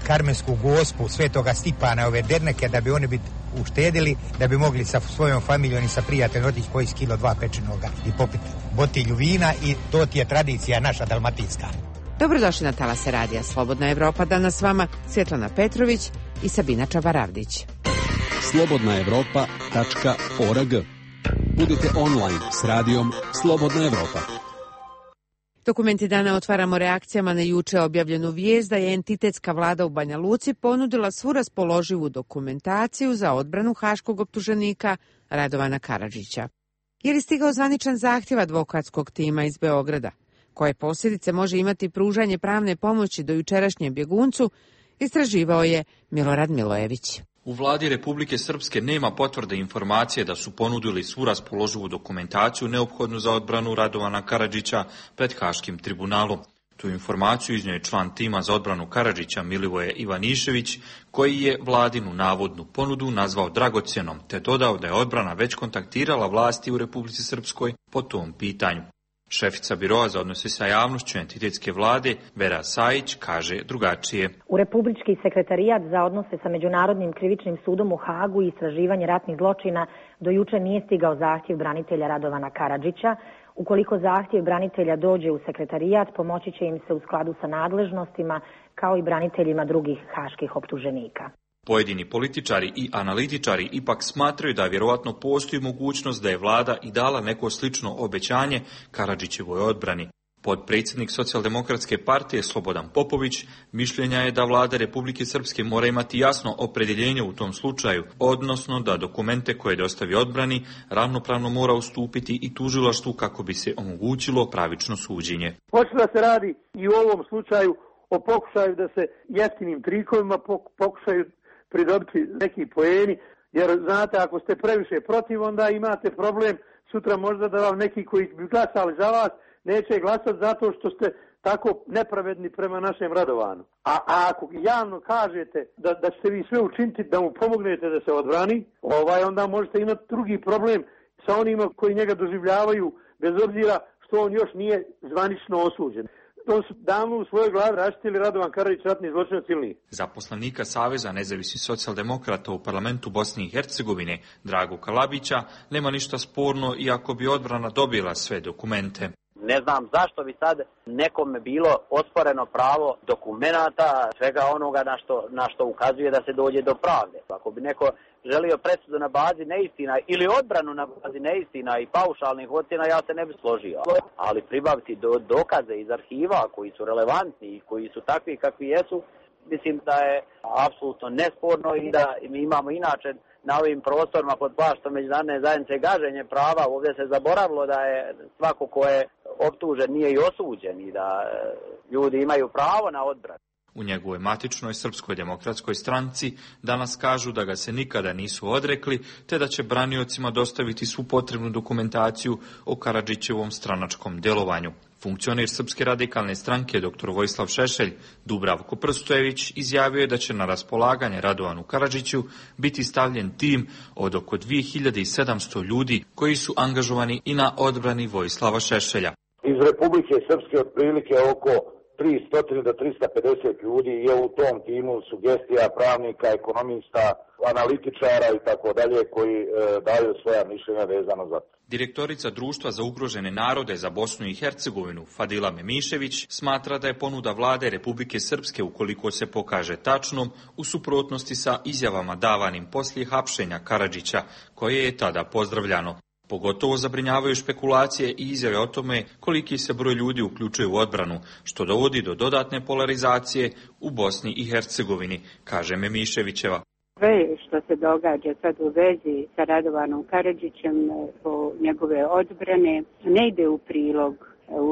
Karmensku Gospu, Svetoga Stipana, ove derneke, da bi oni biti uštedili, da bi mogli sa svojom familijom i sa prijateljom otići koji kilo dva pečenoga i popiti botilju vina, i to ti je tradicija naša dalmatinska. Dobrodošli na talase radija Slobodna Evropa, danas s vama Svjetlana Petrović i Sabina Čabaravdić. slobodna evropa tačka org. Budite online s radijom Slobodna Evropa. Dokumenti dana otvaramo reakcijama na juče objavljenu vijest da je entitetska vlada u Banja Luci ponudila svu raspoloživu dokumentaciju za odbranu haškog optuženika Radovana Karadžića. Je li stigao zvaničan zahtjev advokatskog tima iz Beograda? Koje posljedice može imati pružanje pravne pomoći do jučerašnjem bjeguncu, istraživao je Milorad Milojević. U vladi Republike Srpske nema potvrde informacije da su ponudili svu raspoloživu dokumentaciju neophodnu za odbranu Radovana Karadžića pred Haškim tribunalom. Tu informaciju iznio je član tima za odbranu Karadžića Milivoje Ivanišević, koji je vladinu navodnu ponudu nazvao dragocjenom, te dodao da je odbrana već kontaktirala vlasti u Republici Srpskoj po tom pitanju. Šefica biroa za odnose sa javnošću entitetske vlade, Vera Sajić, kaže drugačije. U Republički sekretarijat za odnose sa Međunarodnim krivičnim sudom u Hagu i istraživanje ratnih zločina do juče nije stigao zahtjev branitelja Radovana Karadžića. Ukoliko zahtjev branitelja dođe u sekretarijat, pomoći će im se u skladu sa nadležnostima, kao i braniteljima drugih haških optuženika. Pojedini političari i analitičari ipak smatraju da vjerovatno postoji mogućnost da je vlada i dala neko slično obećanje Karadžićevoj odbrani. Potpredsjednik Socijaldemokratske partije Slobodan Popović mišljenja je da vlada Republike Srpske mora imati jasno opredjeljenje u tom slučaju, odnosno da dokumente koje dostavi odbrani ravnopravno mora ustupiti i tužilaštvu kako bi se omogućilo pravično suđenje. Hoće da se radi i u ovom slučaju o pokušaju da se jeftinim trikovima pokušaju pridobiti neki poeni, jer znate, ako ste previše protiv, onda imate problem sutra možda da vam neki koji bi glasali za vas neće glasati zato što ste tako nepravedni prema našem Radovanu. A, a ako javno kažete da, da ćete vi sve učiniti da mu pomognete da se odbrani, ovaj, onda možete imati drugi problem sa onima koji njega doživljavaju, bez obzira što on još nije zvanično osuđen. To su davno u svojoj glavi raštili Radovan Karadžić, ratni zločinac ili. Za poslanika Saveza nezavisnih socijaldemokrata u parlamentu Bosne i Hercegovine, Dragu Kalabića, nema ništa sporno iako bi odbrana dobila sve dokumente. Ne znam zašto bi sad nekome bilo osporeno pravo dokumenata, svega onoga na što, na što ukazuje da se dođe do pravde. Ako bi neko želio presudu na bazi neistina ili odbranu na bazi neistina i paušalnih ocjena, ja se ne bi složio. Ali pribaviti do, dokaze iz arhiva koji su relevantni i koji su takvi kakvi jesu, mislim da je apsolutno nesporno i da mi imamo inače na ovim prostorima pod plaštom međunarodne zajednice gaženje prava. Ovdje se zaboravilo da je svako ko je optužen nije i osuđen i da ljudi imaju pravo na odbranu. u njegovoj matičnoj Srpskoj demokratskoj stranci danas kažu da ga se nikada nisu odrekli, te da će braniocima dostaviti svu potrebnu dokumentaciju o Karadžićevom stranačkom delovanju. Funkcioner Srpske radikalne stranke dr Vojislav Šešelj, Dubravko Prstojević, izjavio je da će na raspolaganje Radovanu Karadžiću biti stavljen tim od oko dvije hiljade sedamsto ljudi koji su angažovani i na odbrani Vojislava Šešelja. Iz Republike Srpske otprilike oko tristo do tristo pedeset ljudi je u tom timu, sugestija pravnika, ekonomista, analitičara i tako dalje koji e, daju svoja mišljenja vezano za to. Direktorica Društva za ugrožene narode za Bosnu i Hercegovinu, Fadila Memišević, smatra da je ponuda vlade Republike Srpske, ukoliko se pokaže tačnom, u suprotnosti sa izjavama davanim poslije hapšenja Karadžića, koje je tada pozdravljano. Pogotovo zabrinjavaju špekulacije i izjave o tome koliki se broj ljudi uključuje u odbranu, što dovodi do dodatne polarizacije u Bosni i Hercegovini, kaže Memiševićeva. Sve što se događa sad u vezi sa Radovanom Karadžićem po njegove odbrane ne ide u prilog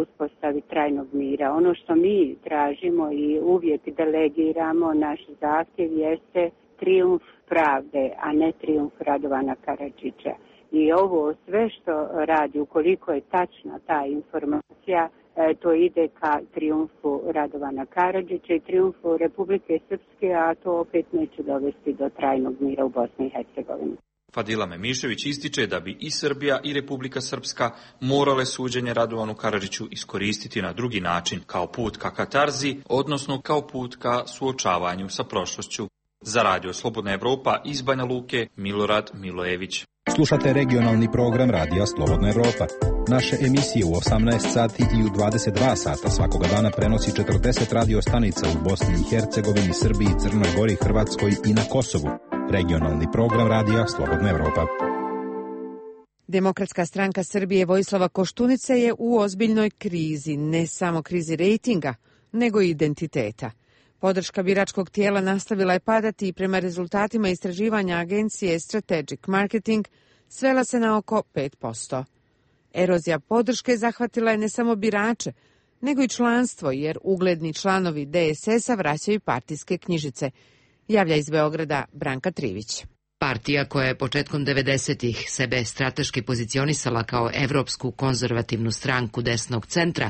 uspostavi trajnog mira. Ono što mi tražimo i uvijek delegiramo, naš zahtjev jeste trijumf pravde, a ne trijumf Radovana Karadžića. I ovo sve što radi, ukoliko je tačna ta informacija, to ide ka trijumfu Radovana Karadžića i trijumfu Republike Srpske, a to opet neće dovesti do trajnog mira u Bosni i Hercegovini. Fadila Memišević ističe da bi i Srbija i Republika Srpska morale suđenje Radovanu Karadžiću iskoristiti na drugi način, kao put ka katarzi, odnosno kao put ka suočavanju sa prošlošću. Za Radio Slobodna Evropa iz Banja Luke, Milorad Milojević. Slušate regionalni program Radija Slobodna Evropa. Naše emisije u osamnaest sati i u dvadeset dva sata svakoga dana prenosi četrdeset radio stanica u Bosni i Hercegovini, Srbiji, Crnoj Gori, Hrvatskoj i na Kosovu. Regionalni program Radija Slobodna Evropa. Demokratska stranka Srbije Vojislava Koštunice je u ozbiljnoj krizi, ne samo krizi rejtinga, nego i identiteta. Podrška biračkog tijela nastavila je padati i prema rezultatima istraživanja agencije Strategic Marketing svela se na oko pet posto. Erozija podrške zahvatila je ne samo birače, nego i članstvo, jer ugledni članovi D S S-a vraćaju partijske knjižice. Javlja iz Beograda Branka Trivić. Partija koja je početkom devedesetih sebe strateški pozicionisala kao evropsku konzervativnu stranku desnog centra,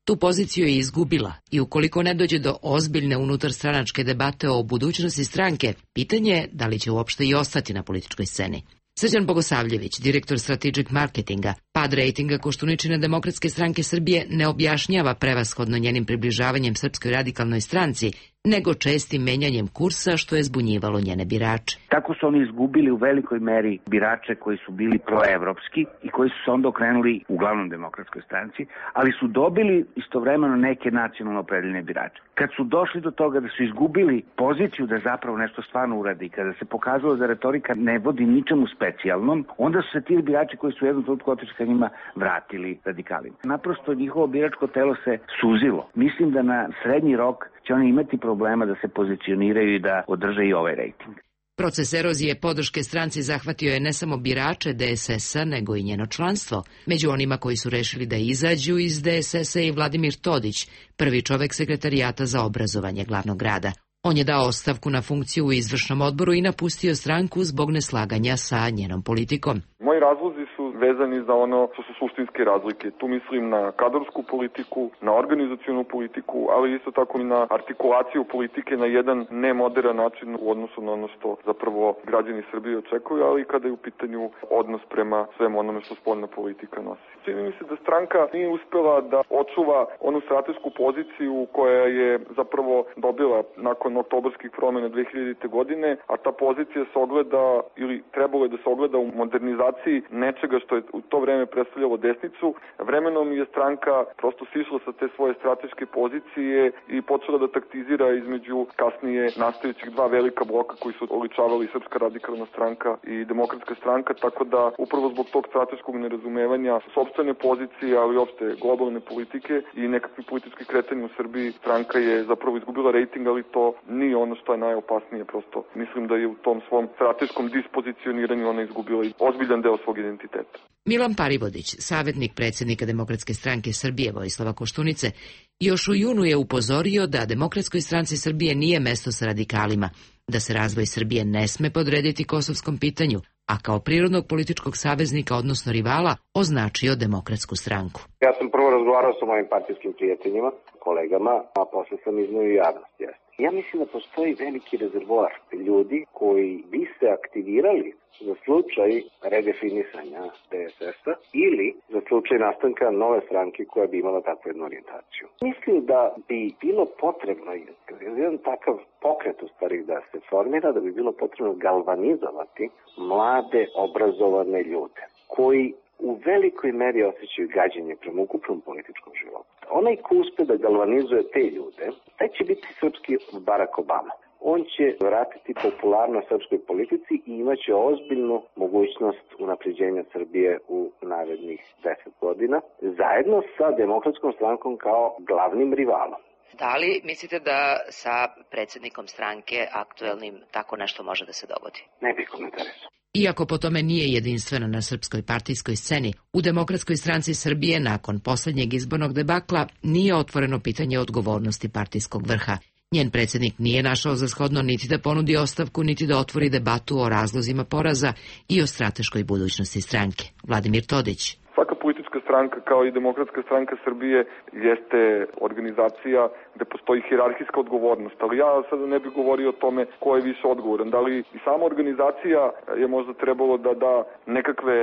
tu poziciju je izgubila i ukoliko ne dođe do ozbiljne unutarstranačke debate o budućnosti stranke, pitanje je da li će uopšte i ostati na političkoj sceni. Srđan Bogosavljević, direktor Strategic Marketinga, pad rejtinga Koštuničine Demokratske stranke Srbije ne objašnjava prevashodno njenim približavanjem Srpskoj radikalnoj stranci, nego čestim menjanjem kursa što je zbunjivalo njene birače. Tako su oni izgubili u velikoj meri birače koji su bili proevropski i koji su se onda okrenuli uglavnom Demokratskoj stranci, ali su dobili istovremeno neke nacionalno opredeljene birače. Kad su došli do toga da su izgubili poziciju da zapravo nešto stvarno uradi i kada se pokazalo da retorika ne vodi ničemu specijalnom, onda su se ti birači koji su u jednom trenutku otišli ka njima vratili radikalima. Naprosto njihovo biračko telo se suzilo. Mislim da na srednji rok će oni imati problema da se pozicioniraju i da održe i ovaj rejting. Proces erozije podrške stranci zahvatio je ne samo birače D S S-a, nego i njeno članstvo. Među onima koji su rešili da izađu iz D S S-a i Vladimir Todić, prvi čovek sekretarijata za obrazovanje glavnog grada. On je dao ostavku na funkciju u izvršnom odboru i napustio stranku zbog neslaganja sa njenom politikom. Moji razlozi su vezani za ono što su suštinske razlike. Tu mislim na kadrovsku politiku, na organizacionu politiku, ali isto tako i na artikulaciju politike na jedan nemoderan način u odnosu na ono što zapravo građani Srbije očekuju, ali i kada je u pitanju odnos prema svemu onome što spoljna politika nosi. Čini mi se da stranka nije uspela da očuva onu stratešku poziciju koja je zapravo dobila nakon oktobarskih promjena dve hiljadite. godine, a ta pozicija se ogleda ili trebalo je da se ogleda u modernizaciji nečega što je u to vreme predstavljalo desnicu. Vremenom je stranka prosto sišla sa te svoje strateške pozicije i počela da taktizira između kasnije nastajućih dva velika bloka koji su oličavali Srpska radikalna stranka i Demokratska stranka, tako da upravo zbog tog strateškog nerazumevanja sopstvene pozicije, ali i opšte globalne politike i nekakvih političkih kretanja u Srbiji, stranka je zapravo izgubila rejting, ali to nije ono što je najopasnije. Prosto mislim da je u tom svom strateškom dispozicioniranju ona izgubila ozbiljan deo svog identiteta. identiteta. Milan Parivodić, savjetnik predsjednika Demokratske stranke Srbije Vojislava Koštunice, još u junu je upozorio da Demokratskoj stranci Srbije nije mesto sa radikalima, da se razvoj Srbije ne sme podrediti kosovskom pitanju, a kao prirodnog političkog saveznika, odnosno rivala, označio Demokratsku stranku. Ja sam prvo razgovarao sa mojim partijskim prijateljima, kolegama, a posle sam iznio i javnost. Ja mislim da postoji veliki rezervoar ljudi koji bi se aktivirali za slučaj redefinisanja D S S-a ili za slučaj nastanka nove stranke koja bi imala takvu jednu orijentaciju. Mislim da bi bilo potrebno, jedan takav pokret u stvari da se formira, da bi bilo potrebno galvanizovati mlade, obrazovane ljude koji u velikoj meri osjećaju gađenje prema ukupnom političkom životu. Onaj ko uspe da galvanizuje te ljude, taj će biti srpski Barack Obama. On će vratiti popularnost srpskoj politici i imaće ozbiljnu mogućnost unapređenja Srbije u narednih deset godina, zajedno sa Demokratskom strankom kao glavnim rivalom. Da li mislite da sa predsjednikom stranke aktuelnim tako nešto može da se dogodi? Ne bih komentarisao. Iako po tome nije jedinstveno na srpskoj partijskoj sceni, u Demokratskoj stranci Srbije nakon posljednjeg izbornog debakla nije otvoreno pitanje odgovornosti partijskog vrha. Njen predsjednik nije našao za shodno niti da ponudi ostavku, niti da otvori debatu o razlozima poraza i o strateškoj budućnosti stranke. Vladimir Todić. Svaka politička stranka, kao i Demokratska stranka Srbije, jeste organizacija gde postoji hijerarhijska odgovornost, ali ja sada ne bih govorio o tome ko je više odgovoran. Da li i sama organizacija je možda trebalo da da nekakve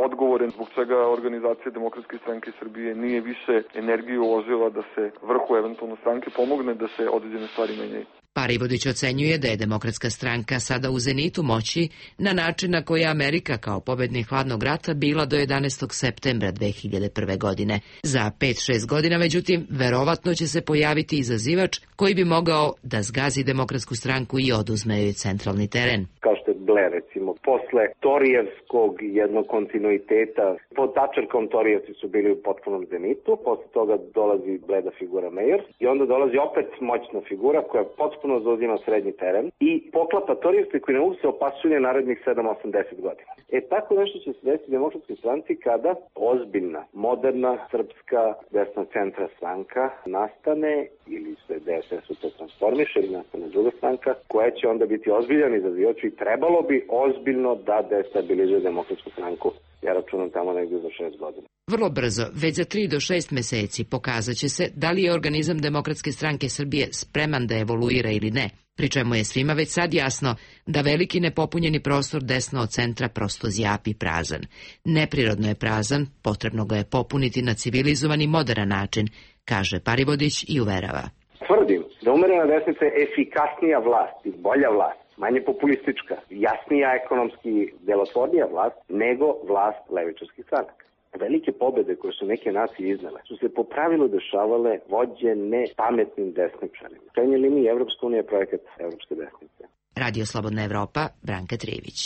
odgovore zbog čega organizacija Demokratske stranke Srbije nije više energiju uložila da se vrhu eventualno stranke pomogne da se određene stvari menjaju. Parivodić ocenjuje da je Demokratska stranka sada u zenitu moći na način na koji je Amerika kao pobednik hladnog rata bila do jedanaestog septembra dve hiljade prve. godine. Za pet šest godina, međutim, verovatno će se pojaviti izazivač koji bi mogao da zgazi Demokratsku stranku i oduzme joj centralni teren. Kao što je Blair, recimo, posle Torijevskog jednog kontinuiteta, pod Tačerkom Torijevci su bili u potpunom zenitu, posle toga dolazi bleda figura Mejer i onda dolazi opet moćna figura koja potpuno zauzima srednji teren i poklapa Torijevce koji ne mogu se opasuje narednih sedam osam deset godina. E tako nešto će se desiti Demokratskoj stranci kada ozbiljna, moderna, srpska desna centra stranka nastane ili se D S S u to transformiše ili nastane druga stranka koja će onda biti ozbiljan izazivač i trebalo bi ozbiljno da destabilizuje Demokratsku stranku. Ja računam tamo negdje za šest godina. Vrlo brzo, već za tri do šest meseci, pokazat će se da li je organizam Demokratske stranke Srbije spreman da evoluira ili ne, pri čemu je svima već sad jasno da veliki nepopunjeni prostor desno od centra prosto zjapi prazan. Neprirodno je prazan, potrebno ga je popuniti na civilizovan i modern način, kaže Parivodić i uverava. Tvrdim da umerena desnica je efikasnija vlast i bolja vlast, manje populistička, jasnija ekonomski delotvornija vlast nego vlast levičarskih stranaka. Velike pobede koje su neke nacije iznele su se po pravilu dešavale vođene pametnim desničarima. U krajnjoj liniji Evropska unija je projekat evropske desnice. Radio Slobodna Evropa, Branka Trijević.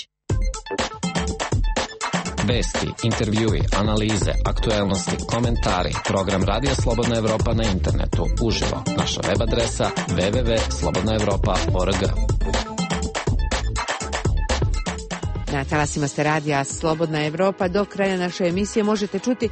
Vesti, intervjui, analize, aktuelnosti, komentari, program Radio Slobodna Evropa na internetu, uživo, naša web adresa w w w tačka slobodna evropa tačka org. Na talasima ste radija Slobodna Evropa. Do kraja naše emisije možete čuti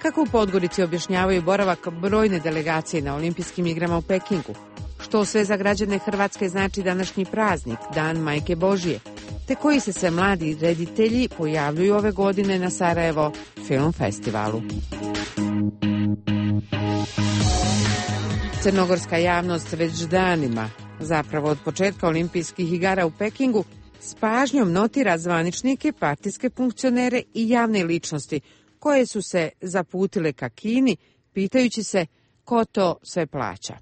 kako u Podgorici objašnjavaju boravak brojne delegacije na olimpijskim igrama u Pekingu. Što sve za građane Hrvatske znači današnji praznik, Dan Majke Božije, te koji se sve mladi reditelji pojavljuju ove godine na Sarajevo Film Festivalu. Crnogorska javnost već danima, zapravo od početka olimpijskih igara u Pekingu, s pažnjom notira zvaničnike, partijske funkcionere i javne ličnosti koje su se zaputile ka Kini, pitajući se ko to sve plaća.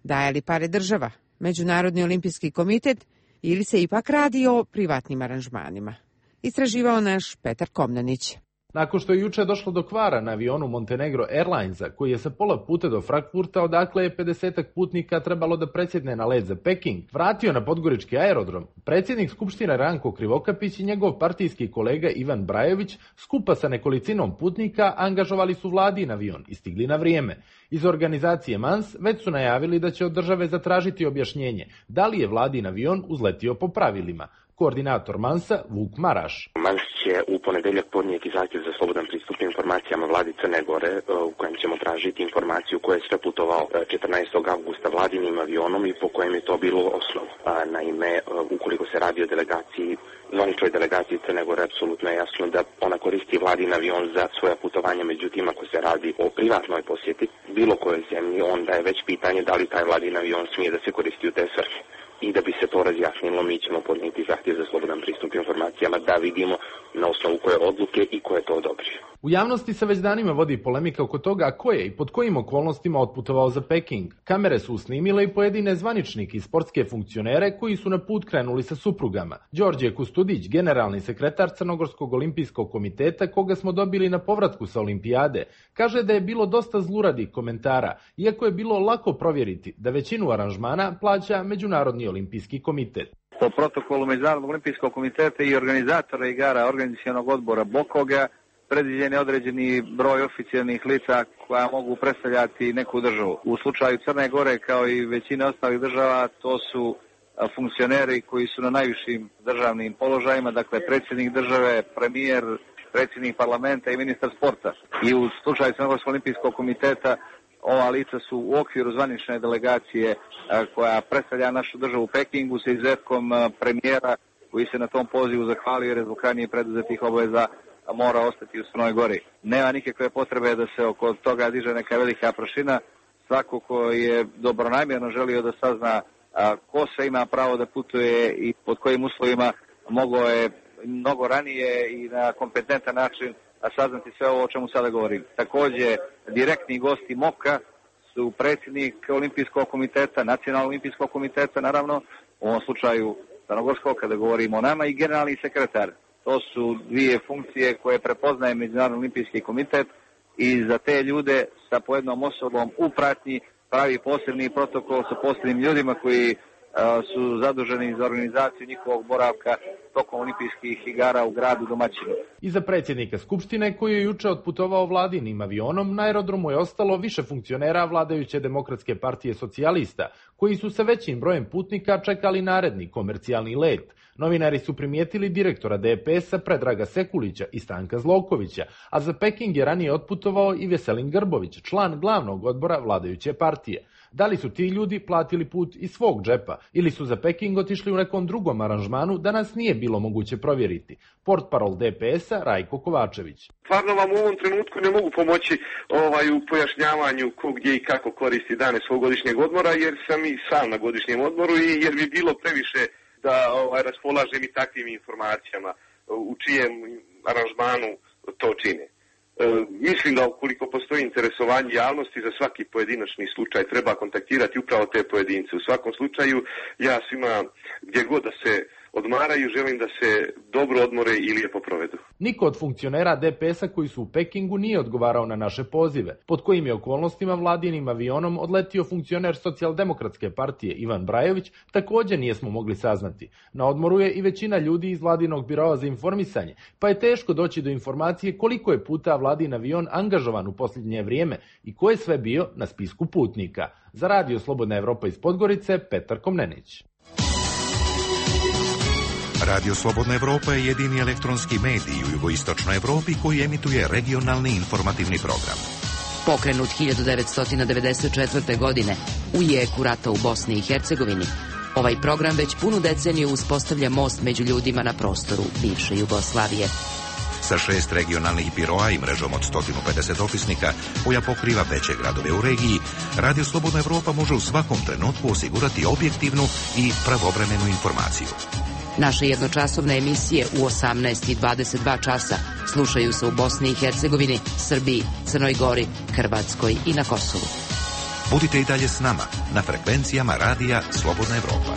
Daje li pare država, Međunarodni olimpijski komitet ili se ipak radi o privatnim aranžmanima? Istraživao naš Petar Komnenić. Nakon što je juče došlo do kvara na avionu Montenegro Airlinesa, koji je sa pola puta do Frankfurta, odakle je pedesetak putnika trebalo da presjedne na let za Peking, vratio na podgorički aerodrom, predsjednik Skupštine Ranko Krivokapić i njegov partijski kolega Ivan Brajović skupa sa nekolicinom putnika angažovali su vladin avion i stigli na vrijeme. Iz organizacije Mans već su najavili da će od države zatražiti objašnjenje da li je vladin avion uzletio po pravilima. Koordinator Mansa, Vuk Maraš. Mans će u ponedeljak podnijeti zahtjev za slobodan pristup informacijama vladi Crne Gore, u kojem ćemo tražiti informaciju koja je sve putovao četrnaestog avgusta vladinim avionom i po kojem je to bilo osnov. Naime, ukoliko se radi o delegaciji, zvaničnoj delegaciji Crne Gore, apsolutno je jasno da ona koristi vladin avion za svoja putovanja, međutim ako se radi o privatnoj posjeti bilo kojoj zemlji, onda je već pitanje da li taj vladin avion smije da se koristi u te svrhe. I da bi se to razjasnilo, mi ćemo podnijeti zahtjev za slobodan pristup informacijama da vidimo na osnovu koje odluke i ko je to odobrio. U javnosti se već danima vodi polemika oko toga ko je i pod kojim okolnostima otputovao za Peking. Kamere su snimile i pojedine zvaničnike i sportske funkcionere koji su na put krenuli sa suprugama. Đorđe Kustudić, generalni sekretar Crnogorskog olimpijskog komiteta, koga smo dobili na povratku sa olimpijade, kaže da je bilo dosta zluradih komentara, iako je bilo lako provjeriti da većinu aranžmana plaća Međunarodni olimpijski komitet. Po protokolu Međunarodnog olimpijskog komiteta i organizatora igara organizacionog odbora Bokoga predviđen je određeni broj oficijalnih lica koja mogu predstavljati neku državu. U slučaju Crne Gore, kao i većine ostalih država, to su funkcioneri koji su na najvišim državnim položajima, dakle predsjednik države, premijer, predsjednik parlamenta i ministar sporta. I u slučaju Crnogorskog olimpijskog komiteta ova lica su u okviru zvanične delegacije koja predstavlja našu državu u Pekingu sa izuzetkom premijera koji se na tom pozivu zahvalio jer je zbog ranije preduzetih obaveza mora ostati u Crnoj Gori. Nema nikakve potrebe da se oko toga diže neka velika prašina. Svako ko je dobronamjerno želio da sazna ko sve ima pravo da putuje i pod kojim uslovima, mogao je mnogo ranije i na kompetentan način saznati sve ovo o čemu sada govorim. Također, direktni gosti MOK-a su predsjednik Olimpijskog komiteta, Nacionalnog olimpijskog komiteta, naravno, u ovom slučaju Crnogorskog, kada govorimo o nama, i generalni sekretar. To su dvije funkcije koje prepoznaje Međunarodni olimpijski komitet i za te ljude sa pojednom osobom u pratnji pravi posebni protokol sa posebnim ljudima koji su zaduženi za organizaciju njihovog boravka tokom olimpijskih igara u gradu domaćinu. Iza predsjednika Skupštine, koji je juče otputovao vladinim avionom, na aerodromu je ostalo više funkcionera vladajuće Demokratske partije socijalista, koji su sa većim brojem putnika čekali naredni komercijalni let. Novinari su primijetili direktora D P S-a Predraga Sekulića i Stanka Zlovkovića, a za Peking je ranije otputovao i Veselin Grbović, član glavnog odbora vladajuće partije. Da li su ti ljudi platili put iz svog džepa ili su za Peking otišli u nekom drugom aranžmanu, danas nije bilo moguće provjeriti. Portparol D P S-a Rajko Kovačević. Stvarno vam u ovom trenutku ne mogu pomoći ovaj, u pojašnjavanju ko gdje i kako koristi dane svog godišnjeg odmora, jer sam i sam na godišnjem odmoru i jer bi bilo previše da ovaj, raspolažem i takvim informacijama u čijem aranžmanu to čine. E, mislim da ukoliko postoji interesovanje javnosti za svaki pojedinačni slučaj treba kontaktirati upravo te pojedince. U svakom slučaju ja svima gdje god da se odmaraju želim da se dobro odmore i lijepo provedu. Niko od funkcionera D P S-a koji su u Pekingu nije odgovarao na naše pozive. Pod kojim je okolnostima vladinim avionom odletio funkcioner Socijaldemokratske partije Ivan Brajović, također nijesmo mogli saznati. Na odmoru je i većina ljudi iz vladinog biroa za informisanje, pa je teško doći do informacije koliko je puta vladin avion angažovan u posljednje vrijeme i ko je sve bio na spisku putnika. Za Radio Slobodna Evropa iz Podgorice, Petar Komnenić. Radio Slobodna Evropa je jedini elektronski medij u jugoistočnoj Evropi koji emituje regionalni informativni program. Pokrenut hiljadu devetsto devedeset četvrte. godine u jeku rata u Bosni i Hercegovini, ovaj program već punu deceniju uspostavlja most među ljudima na prostoru bivše Jugoslavije. Sa šest regionalnih biroa i mrežom od sto pedeset opisnika koja pokriva veće gradove u regiji, Radio Slobodna Evropa može u svakom trenutku osigurati objektivnu i pravovremenu informaciju. Naše jednočasovne emisije u osamnaest i dvadeset dva časa slušaju se u Bosni i Hercegovini, Srbiji, Crnoj Gori, Hrvatskoj i na Kosovu. Budite i dalje s nama na frekvencijama Radija Slobodna Evropa.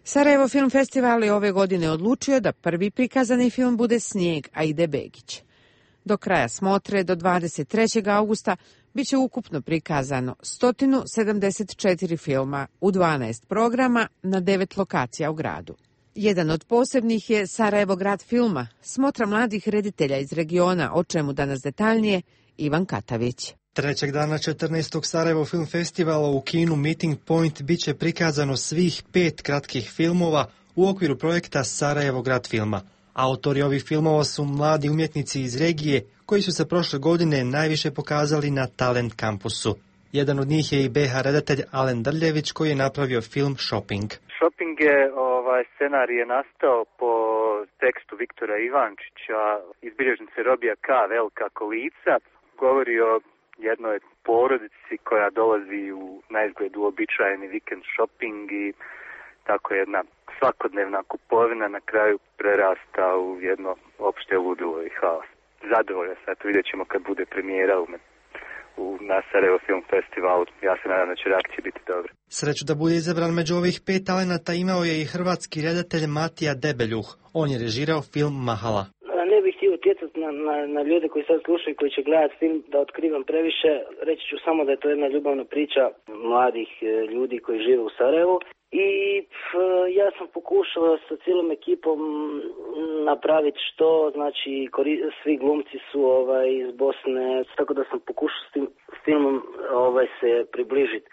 Sarajevo Film Festival je ove godine odlučio da prvi prikazani film bude Snijeg Aide Begić. Do kraja smotre, do dvadeset trećeg augusta, bit će ukupno prikazano sto sedamdeset četiri filma u dvanaest programa na devet lokacija u gradu. Jedan od posebnih je Sarajevo grad filma, smotra mladih reditelja iz regiona, o čemu danas detaljnije Ivan Katavić. Trećeg dana četrnaestog Sarajevo Film Festivala u kinu Meeting Point bit će prikazano svih pet kratkih filmova u okviru projekta Sarajevo grad filma. Autori ovih filmova su mladi umjetnici iz regije koji su se prošle godine najviše pokazali na Talent kampusu. Jedan od njih je i be ha redatelj Alen Drljević koji je napravio film Shopping. Shopping je, ovaj, scenarij je nastao po tekstu Viktora Ivančića iz bilježnice Robija K. Velika kolica. Govori o jednoj porodici koja dolazi u naizgled uobičajeni vikend shopping i tako jedna svakodnevna kupovina na kraju prerasta u jedno opšte ludilo i haos. Zadovoljan sam, to vidjet ćemo kad bude premijera u, u na Sarajevo Film Festivalu. Ja se nadam da će reakcije biti dobre. Sreću da bude izabran među ovih pet talenata imao je i hrvatski redatelj Matija Debeljuh. On je režirao film Mahala. Ne bih htio utjecati na, na, na ljude koji sad slušaju i koji će gledati film da otkrivam previše. Reći ću samo da je to jedna ljubavna priča mladih ljudi koji žive u Sarajevu. I pf, ja sam pokušao sa cijelom ekipom napraviti što, znači kori, svi glumci su ovaj, iz Bosne, tako da sam pokušao s tim filmom ovaj, se približiti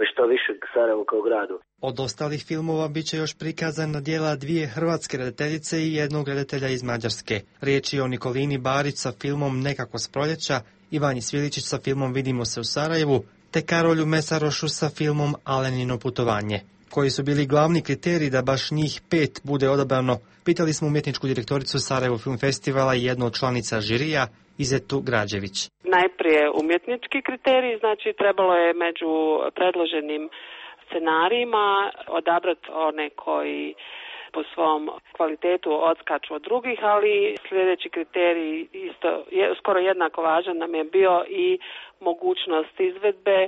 što više k Sarajevu kao gradu. Od ostalih filmova bit će još prikazana djela dvije hrvatske redateljice i jednog redatelja iz Mađarske. Riječ je o Nikolini Barić sa filmom Nekako s proljeća, Ivanji Sviličić sa filmom Vidimo se u Sarajevu, te Karolju Mesarošu sa filmom Alenino putovanje. Koji su bili glavni kriteriji da baš njih pet bude odabrano, pitali smo umjetničku direktoricu Sarajevo Film Festivala i jednu od članica žirija, Izetu Građević. Najprije umjetnički kriteriji, znači trebalo je među predloženim scenarijima odabrati one koji po svom kvalitetu odskaču od drugih, ali sljedeći kriterij isto je skoro jednako važan nam je bio i mogućnost izvedbe.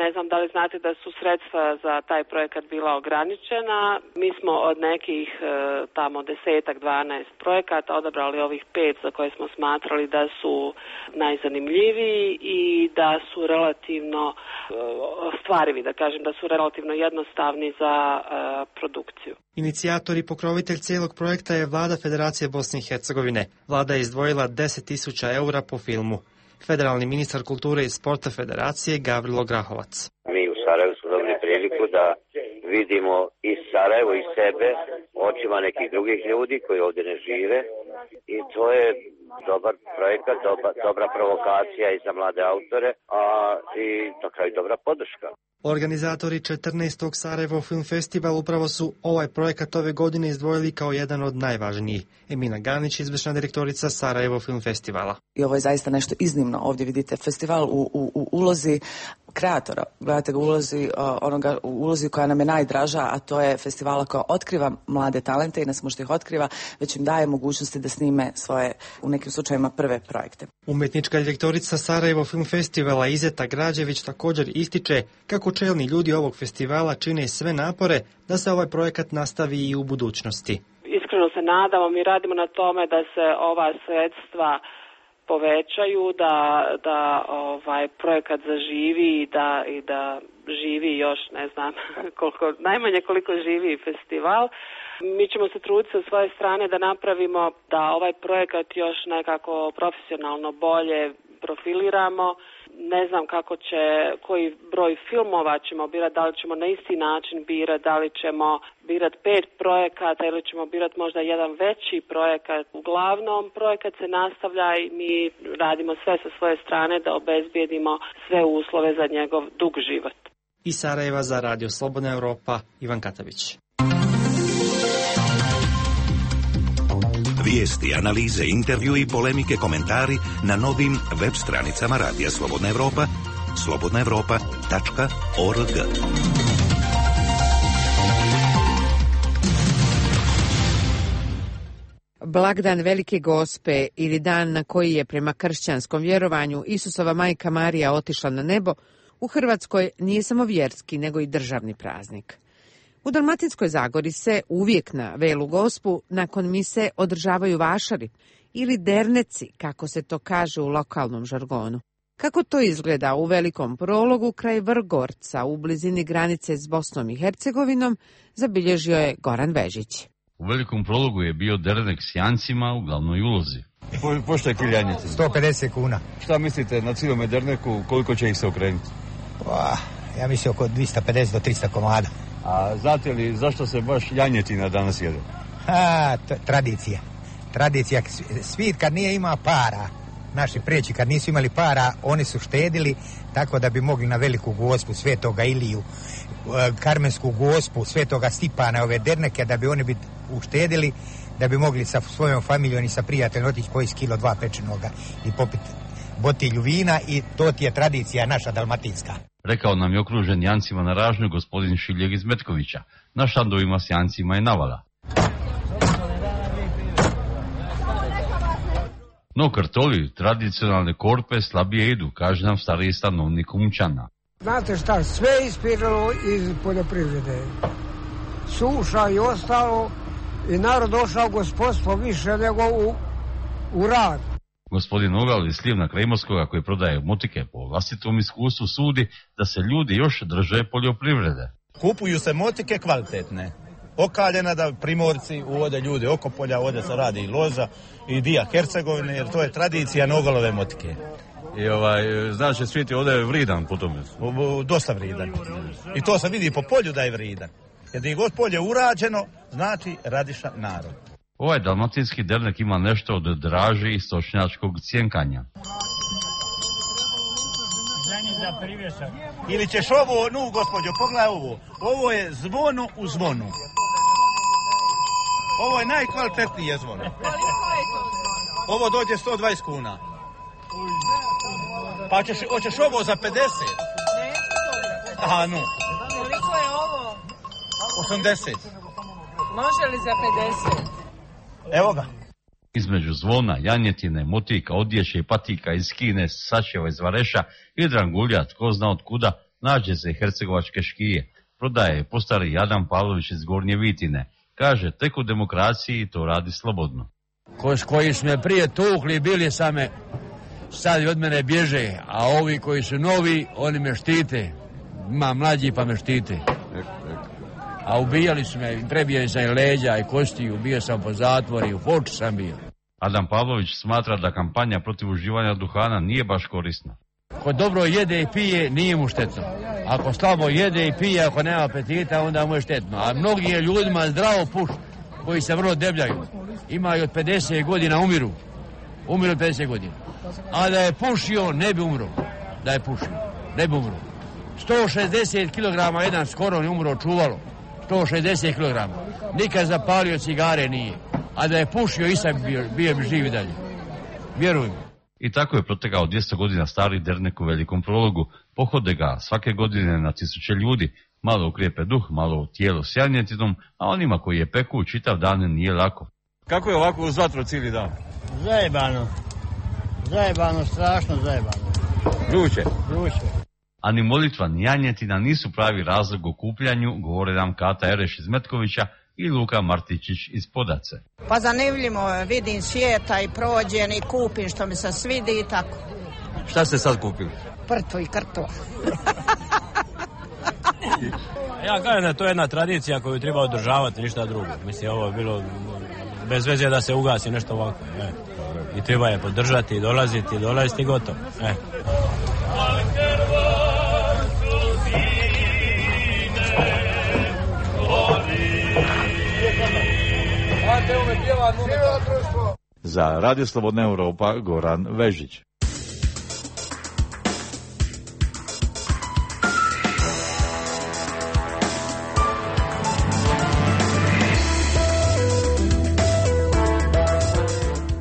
Ne znam da li znate da su sredstva za taj projekat bila ograničena. Mi smo od nekih tamo desetak, dvanaest projekata odabrali ovih pet za koje smo smatrali da su najzanimljiviji i da su relativno stvarivi, da kažem, da su relativno jednostavni za produkciju. Inicijator i pokrovitelj cijelog projekta je Vlada Federacije Bosne i Hercegovine. Vlada je izdvojila deset tisuća eura po filmu. Federalni ministar kulture i sporta Federacije Gavrilo Grahovac. Mi u Sarajevu smo dobili priliku da vidimo i Sarajevo i sebe očima nekih drugih ljudi koji ovdje ne žive i to je dobar projekat, doba, dobra provokacija i za mlade autore, a i na kraju dobra podrška. Organizatori četrnaestog Sarajevo Film Festival upravo su ovaj projekat ove godine izdvojili kao jedan od najvažnijih. Emina Ganić, izvršna direktorica Sarajevo Film Festivala. I ovo je zaista nešto iznimno. Ovdje vidite festival u, u, u ulozi kreatora. Gledate ga u ulozi, onoga, u ulozi koja nam je najdraža, a to je festivala koja otkriva mlade talente i ne samo što ih otkriva, već im daje mogućnosti da snime svoje, u nekim slučajima, prve projekte. Umjetnička direktorica Sarajevo Film Festivala Izeta Građević također ističe kako čelni ljudi ovog festivala čine sve napore da se ovaj projekat nastavi i u budućnosti. Iskreno se nadamo, mi radimo na tome da se ova sredstva povećaju, da, da ovaj projekat zaživi i da, i da živi još, ne znam, koliko, najmanje koliko živi festival. Mi ćemo se truditi sa svoje strane da napravimo da ovaj projekat još nekako profesionalno bolje profiliramo. Ne znam kako će, koji broj filmova ćemo birati, da li ćemo na isti način birati, da li ćemo birati pet projekata ili ćemo birati možda jedan veći projekat. Uglavnom, projekat se nastavlja i mi radimo sve sa svoje strane da obezbijedimo sve uslove za njegov dug život. Iz Sarajeva za Radio Slobodna Europa, Ivan Katavić. Vijesti, analize, intervju i polemike, komentari na novim web stranicama Radija Slobodna Evropa, slobodna evropa tačka org. Blagdan Velike Gospe ili dan na koji je prema kršćanskom vjerovanju Isusova majka Marija otišla na nebo, u Hrvatskoj nije samo vjerski nego i državni praznik. U Dalmatinskoj Zagori se uvijek na Velu Gospu nakon mise održavaju vašari ili derneci, kako se to kaže u lokalnom žargonu. Kako to izgleda u Velikom Prologu kraj Vrgorca u blizini granice s Bosnom i Hercegovinom, zabilježio je Goran Vežić. U Velikom Prologu je bio dernek s jancima u glavnoj ulozi. Po, pošto je kiljanjice? sto pedeset kuna. Šta mislite na cijelome derneku, koliko će ih se okrenuti? Pa, ja mislim oko dvjesto pedeset do tristo komada. A znate li zašto se baš janjetina danas jede? Ha, t- tradicija. Tradicija. Svit kad nije ima para, naši preći kad nisu imali para, oni su štedili tako da bi mogli na veliku gospu Svetoga Iliju, Karmensku gospu Svetoga Stipana, ove derneke, da bi oni bi uštedili, da bi mogli sa svojom familijom i sa prijateljom otići koji kilo dva pečenoga i popiti botilju vina, i to ti je tradicija naša dalmatinska. Rekao nam je okružen jancima na ražnju gospodin Šiljeg iz Metkovića. Na štandovima s jancima je navala. No kartoli, tradicionalne korpe slabije idu, kaže nam stariji stanovnik Umčana. Znate šta, sve ispiralo iz poljoprivrede. Suša i ostalo, i narod došao gospodstvo više nego u, u rad. Gospodin Ogal iz Slivna kraj Imotskoga, koji prodaje motike, po vlastitom iskustvu sudi da se ljudi još drže poljoprivrede. Kupuju se motike kvalitetne, okaljena, da primorci uvode ljudi oko polja, ovdje se radi i loza i dija Hercegovine, jer to je tradicija Nogalove motike. I ovaj, znači svijet je ovdje vridan po tome? O, o, dosta vridan. I to se vidi po polju da je vridan. Jer da je god polje urađeno, znači radiša narod. Ovaj dalmatinski dernek ima nešto od draži i stočnjačkog cjenkanja. Ili ćeš ovo, nu gospođo, pogledaj ovo. Ovo je zvono u zvonu. Ovo je najkvalitetnije zvono. Ovo dođe sto dvadeset kuna. Pa ćeš, hoćeš ovo za pedeset? Aha, nu. Koliko je ovo? osamdeset. Može li za pedeset? Evo ga. Između zvona, janjetine, motika, odjeće i patika iz Kine, sačeva iz Vareša i drangulja, tko zna od kuda, nađe se hercegovačke škije. Prodaje postari Jadan Pavlović iz Gornje Vitine. Kaže, tek u demokraciji to radi slobodno. Ko, koji su me prije tukli, bili same, sad i od mene bježe, a ovi koji su novi, oni me štite. Ima mlađi pa me štite. A ubijali su me, prebijali sam i leđa i kosti, ubio sam po zatvori, u Foču sam bio. Adam Pavlović smatra da kampanja protiv uživanja duhana nije baš korisna. Ko dobro jede i pije, nije mu štetno. Ako slabo jede i pije, ako nema apetita, onda mu je štetno. A mnogi je ljudima zdravo puš, koji se vrlo debljaju. Imaju od pedeset godina, umiru. Umiru od pedeset godina. A da je pušio, ne bi umro. Da je pušio, ne bi umro. sto šezdeset kilograma jedan skoro ne umro čuvalo. sto šezdeset kilograma. Nikad zapalio cigare nije. A da je pušio, i sad bio, bio bi živi dalje. Vjerujem. I tako je protekao dvjesto godina stari dernek u Velikom Prologu. Pohode ga svake godine na tisuće ljudi. Malo ukrijepe duh, malo tijelo s janjetinom, a onima koji je peku čitav dan nije lako. Kako je ovako uz vatru cijeli dan? Zajebano. Zajebano, strašno zajebano. Vruće? Vruće. A ni molitva ni janjetina nisu pravi razlog o kupljanju, govore nam Kata Ereš iz Metkovića i Luka Martičić iz Podace. Pa zanimljivo, vidim svijeta i prođem i kupim što mi se svidi i tako. Šta ste sad kupili? Prtu i krtu. Ja kažem da to je jedna tradicija koju treba održavati, ništa drugo. Mislim, ovo je bilo bez veze da se ugasi nešto ovako. E. I treba je podržati, dolaziti, dolaziti i gotovo. E. Za Radio Slobodna Europa, Goran Vežić.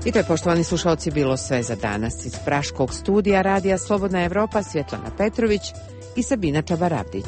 I to je, poštovani slušalci, bilo sve za danas. Iz Praškog studija Radija Slobodna Evropa Svjetlana Petrović i Sabina Čabaravdić.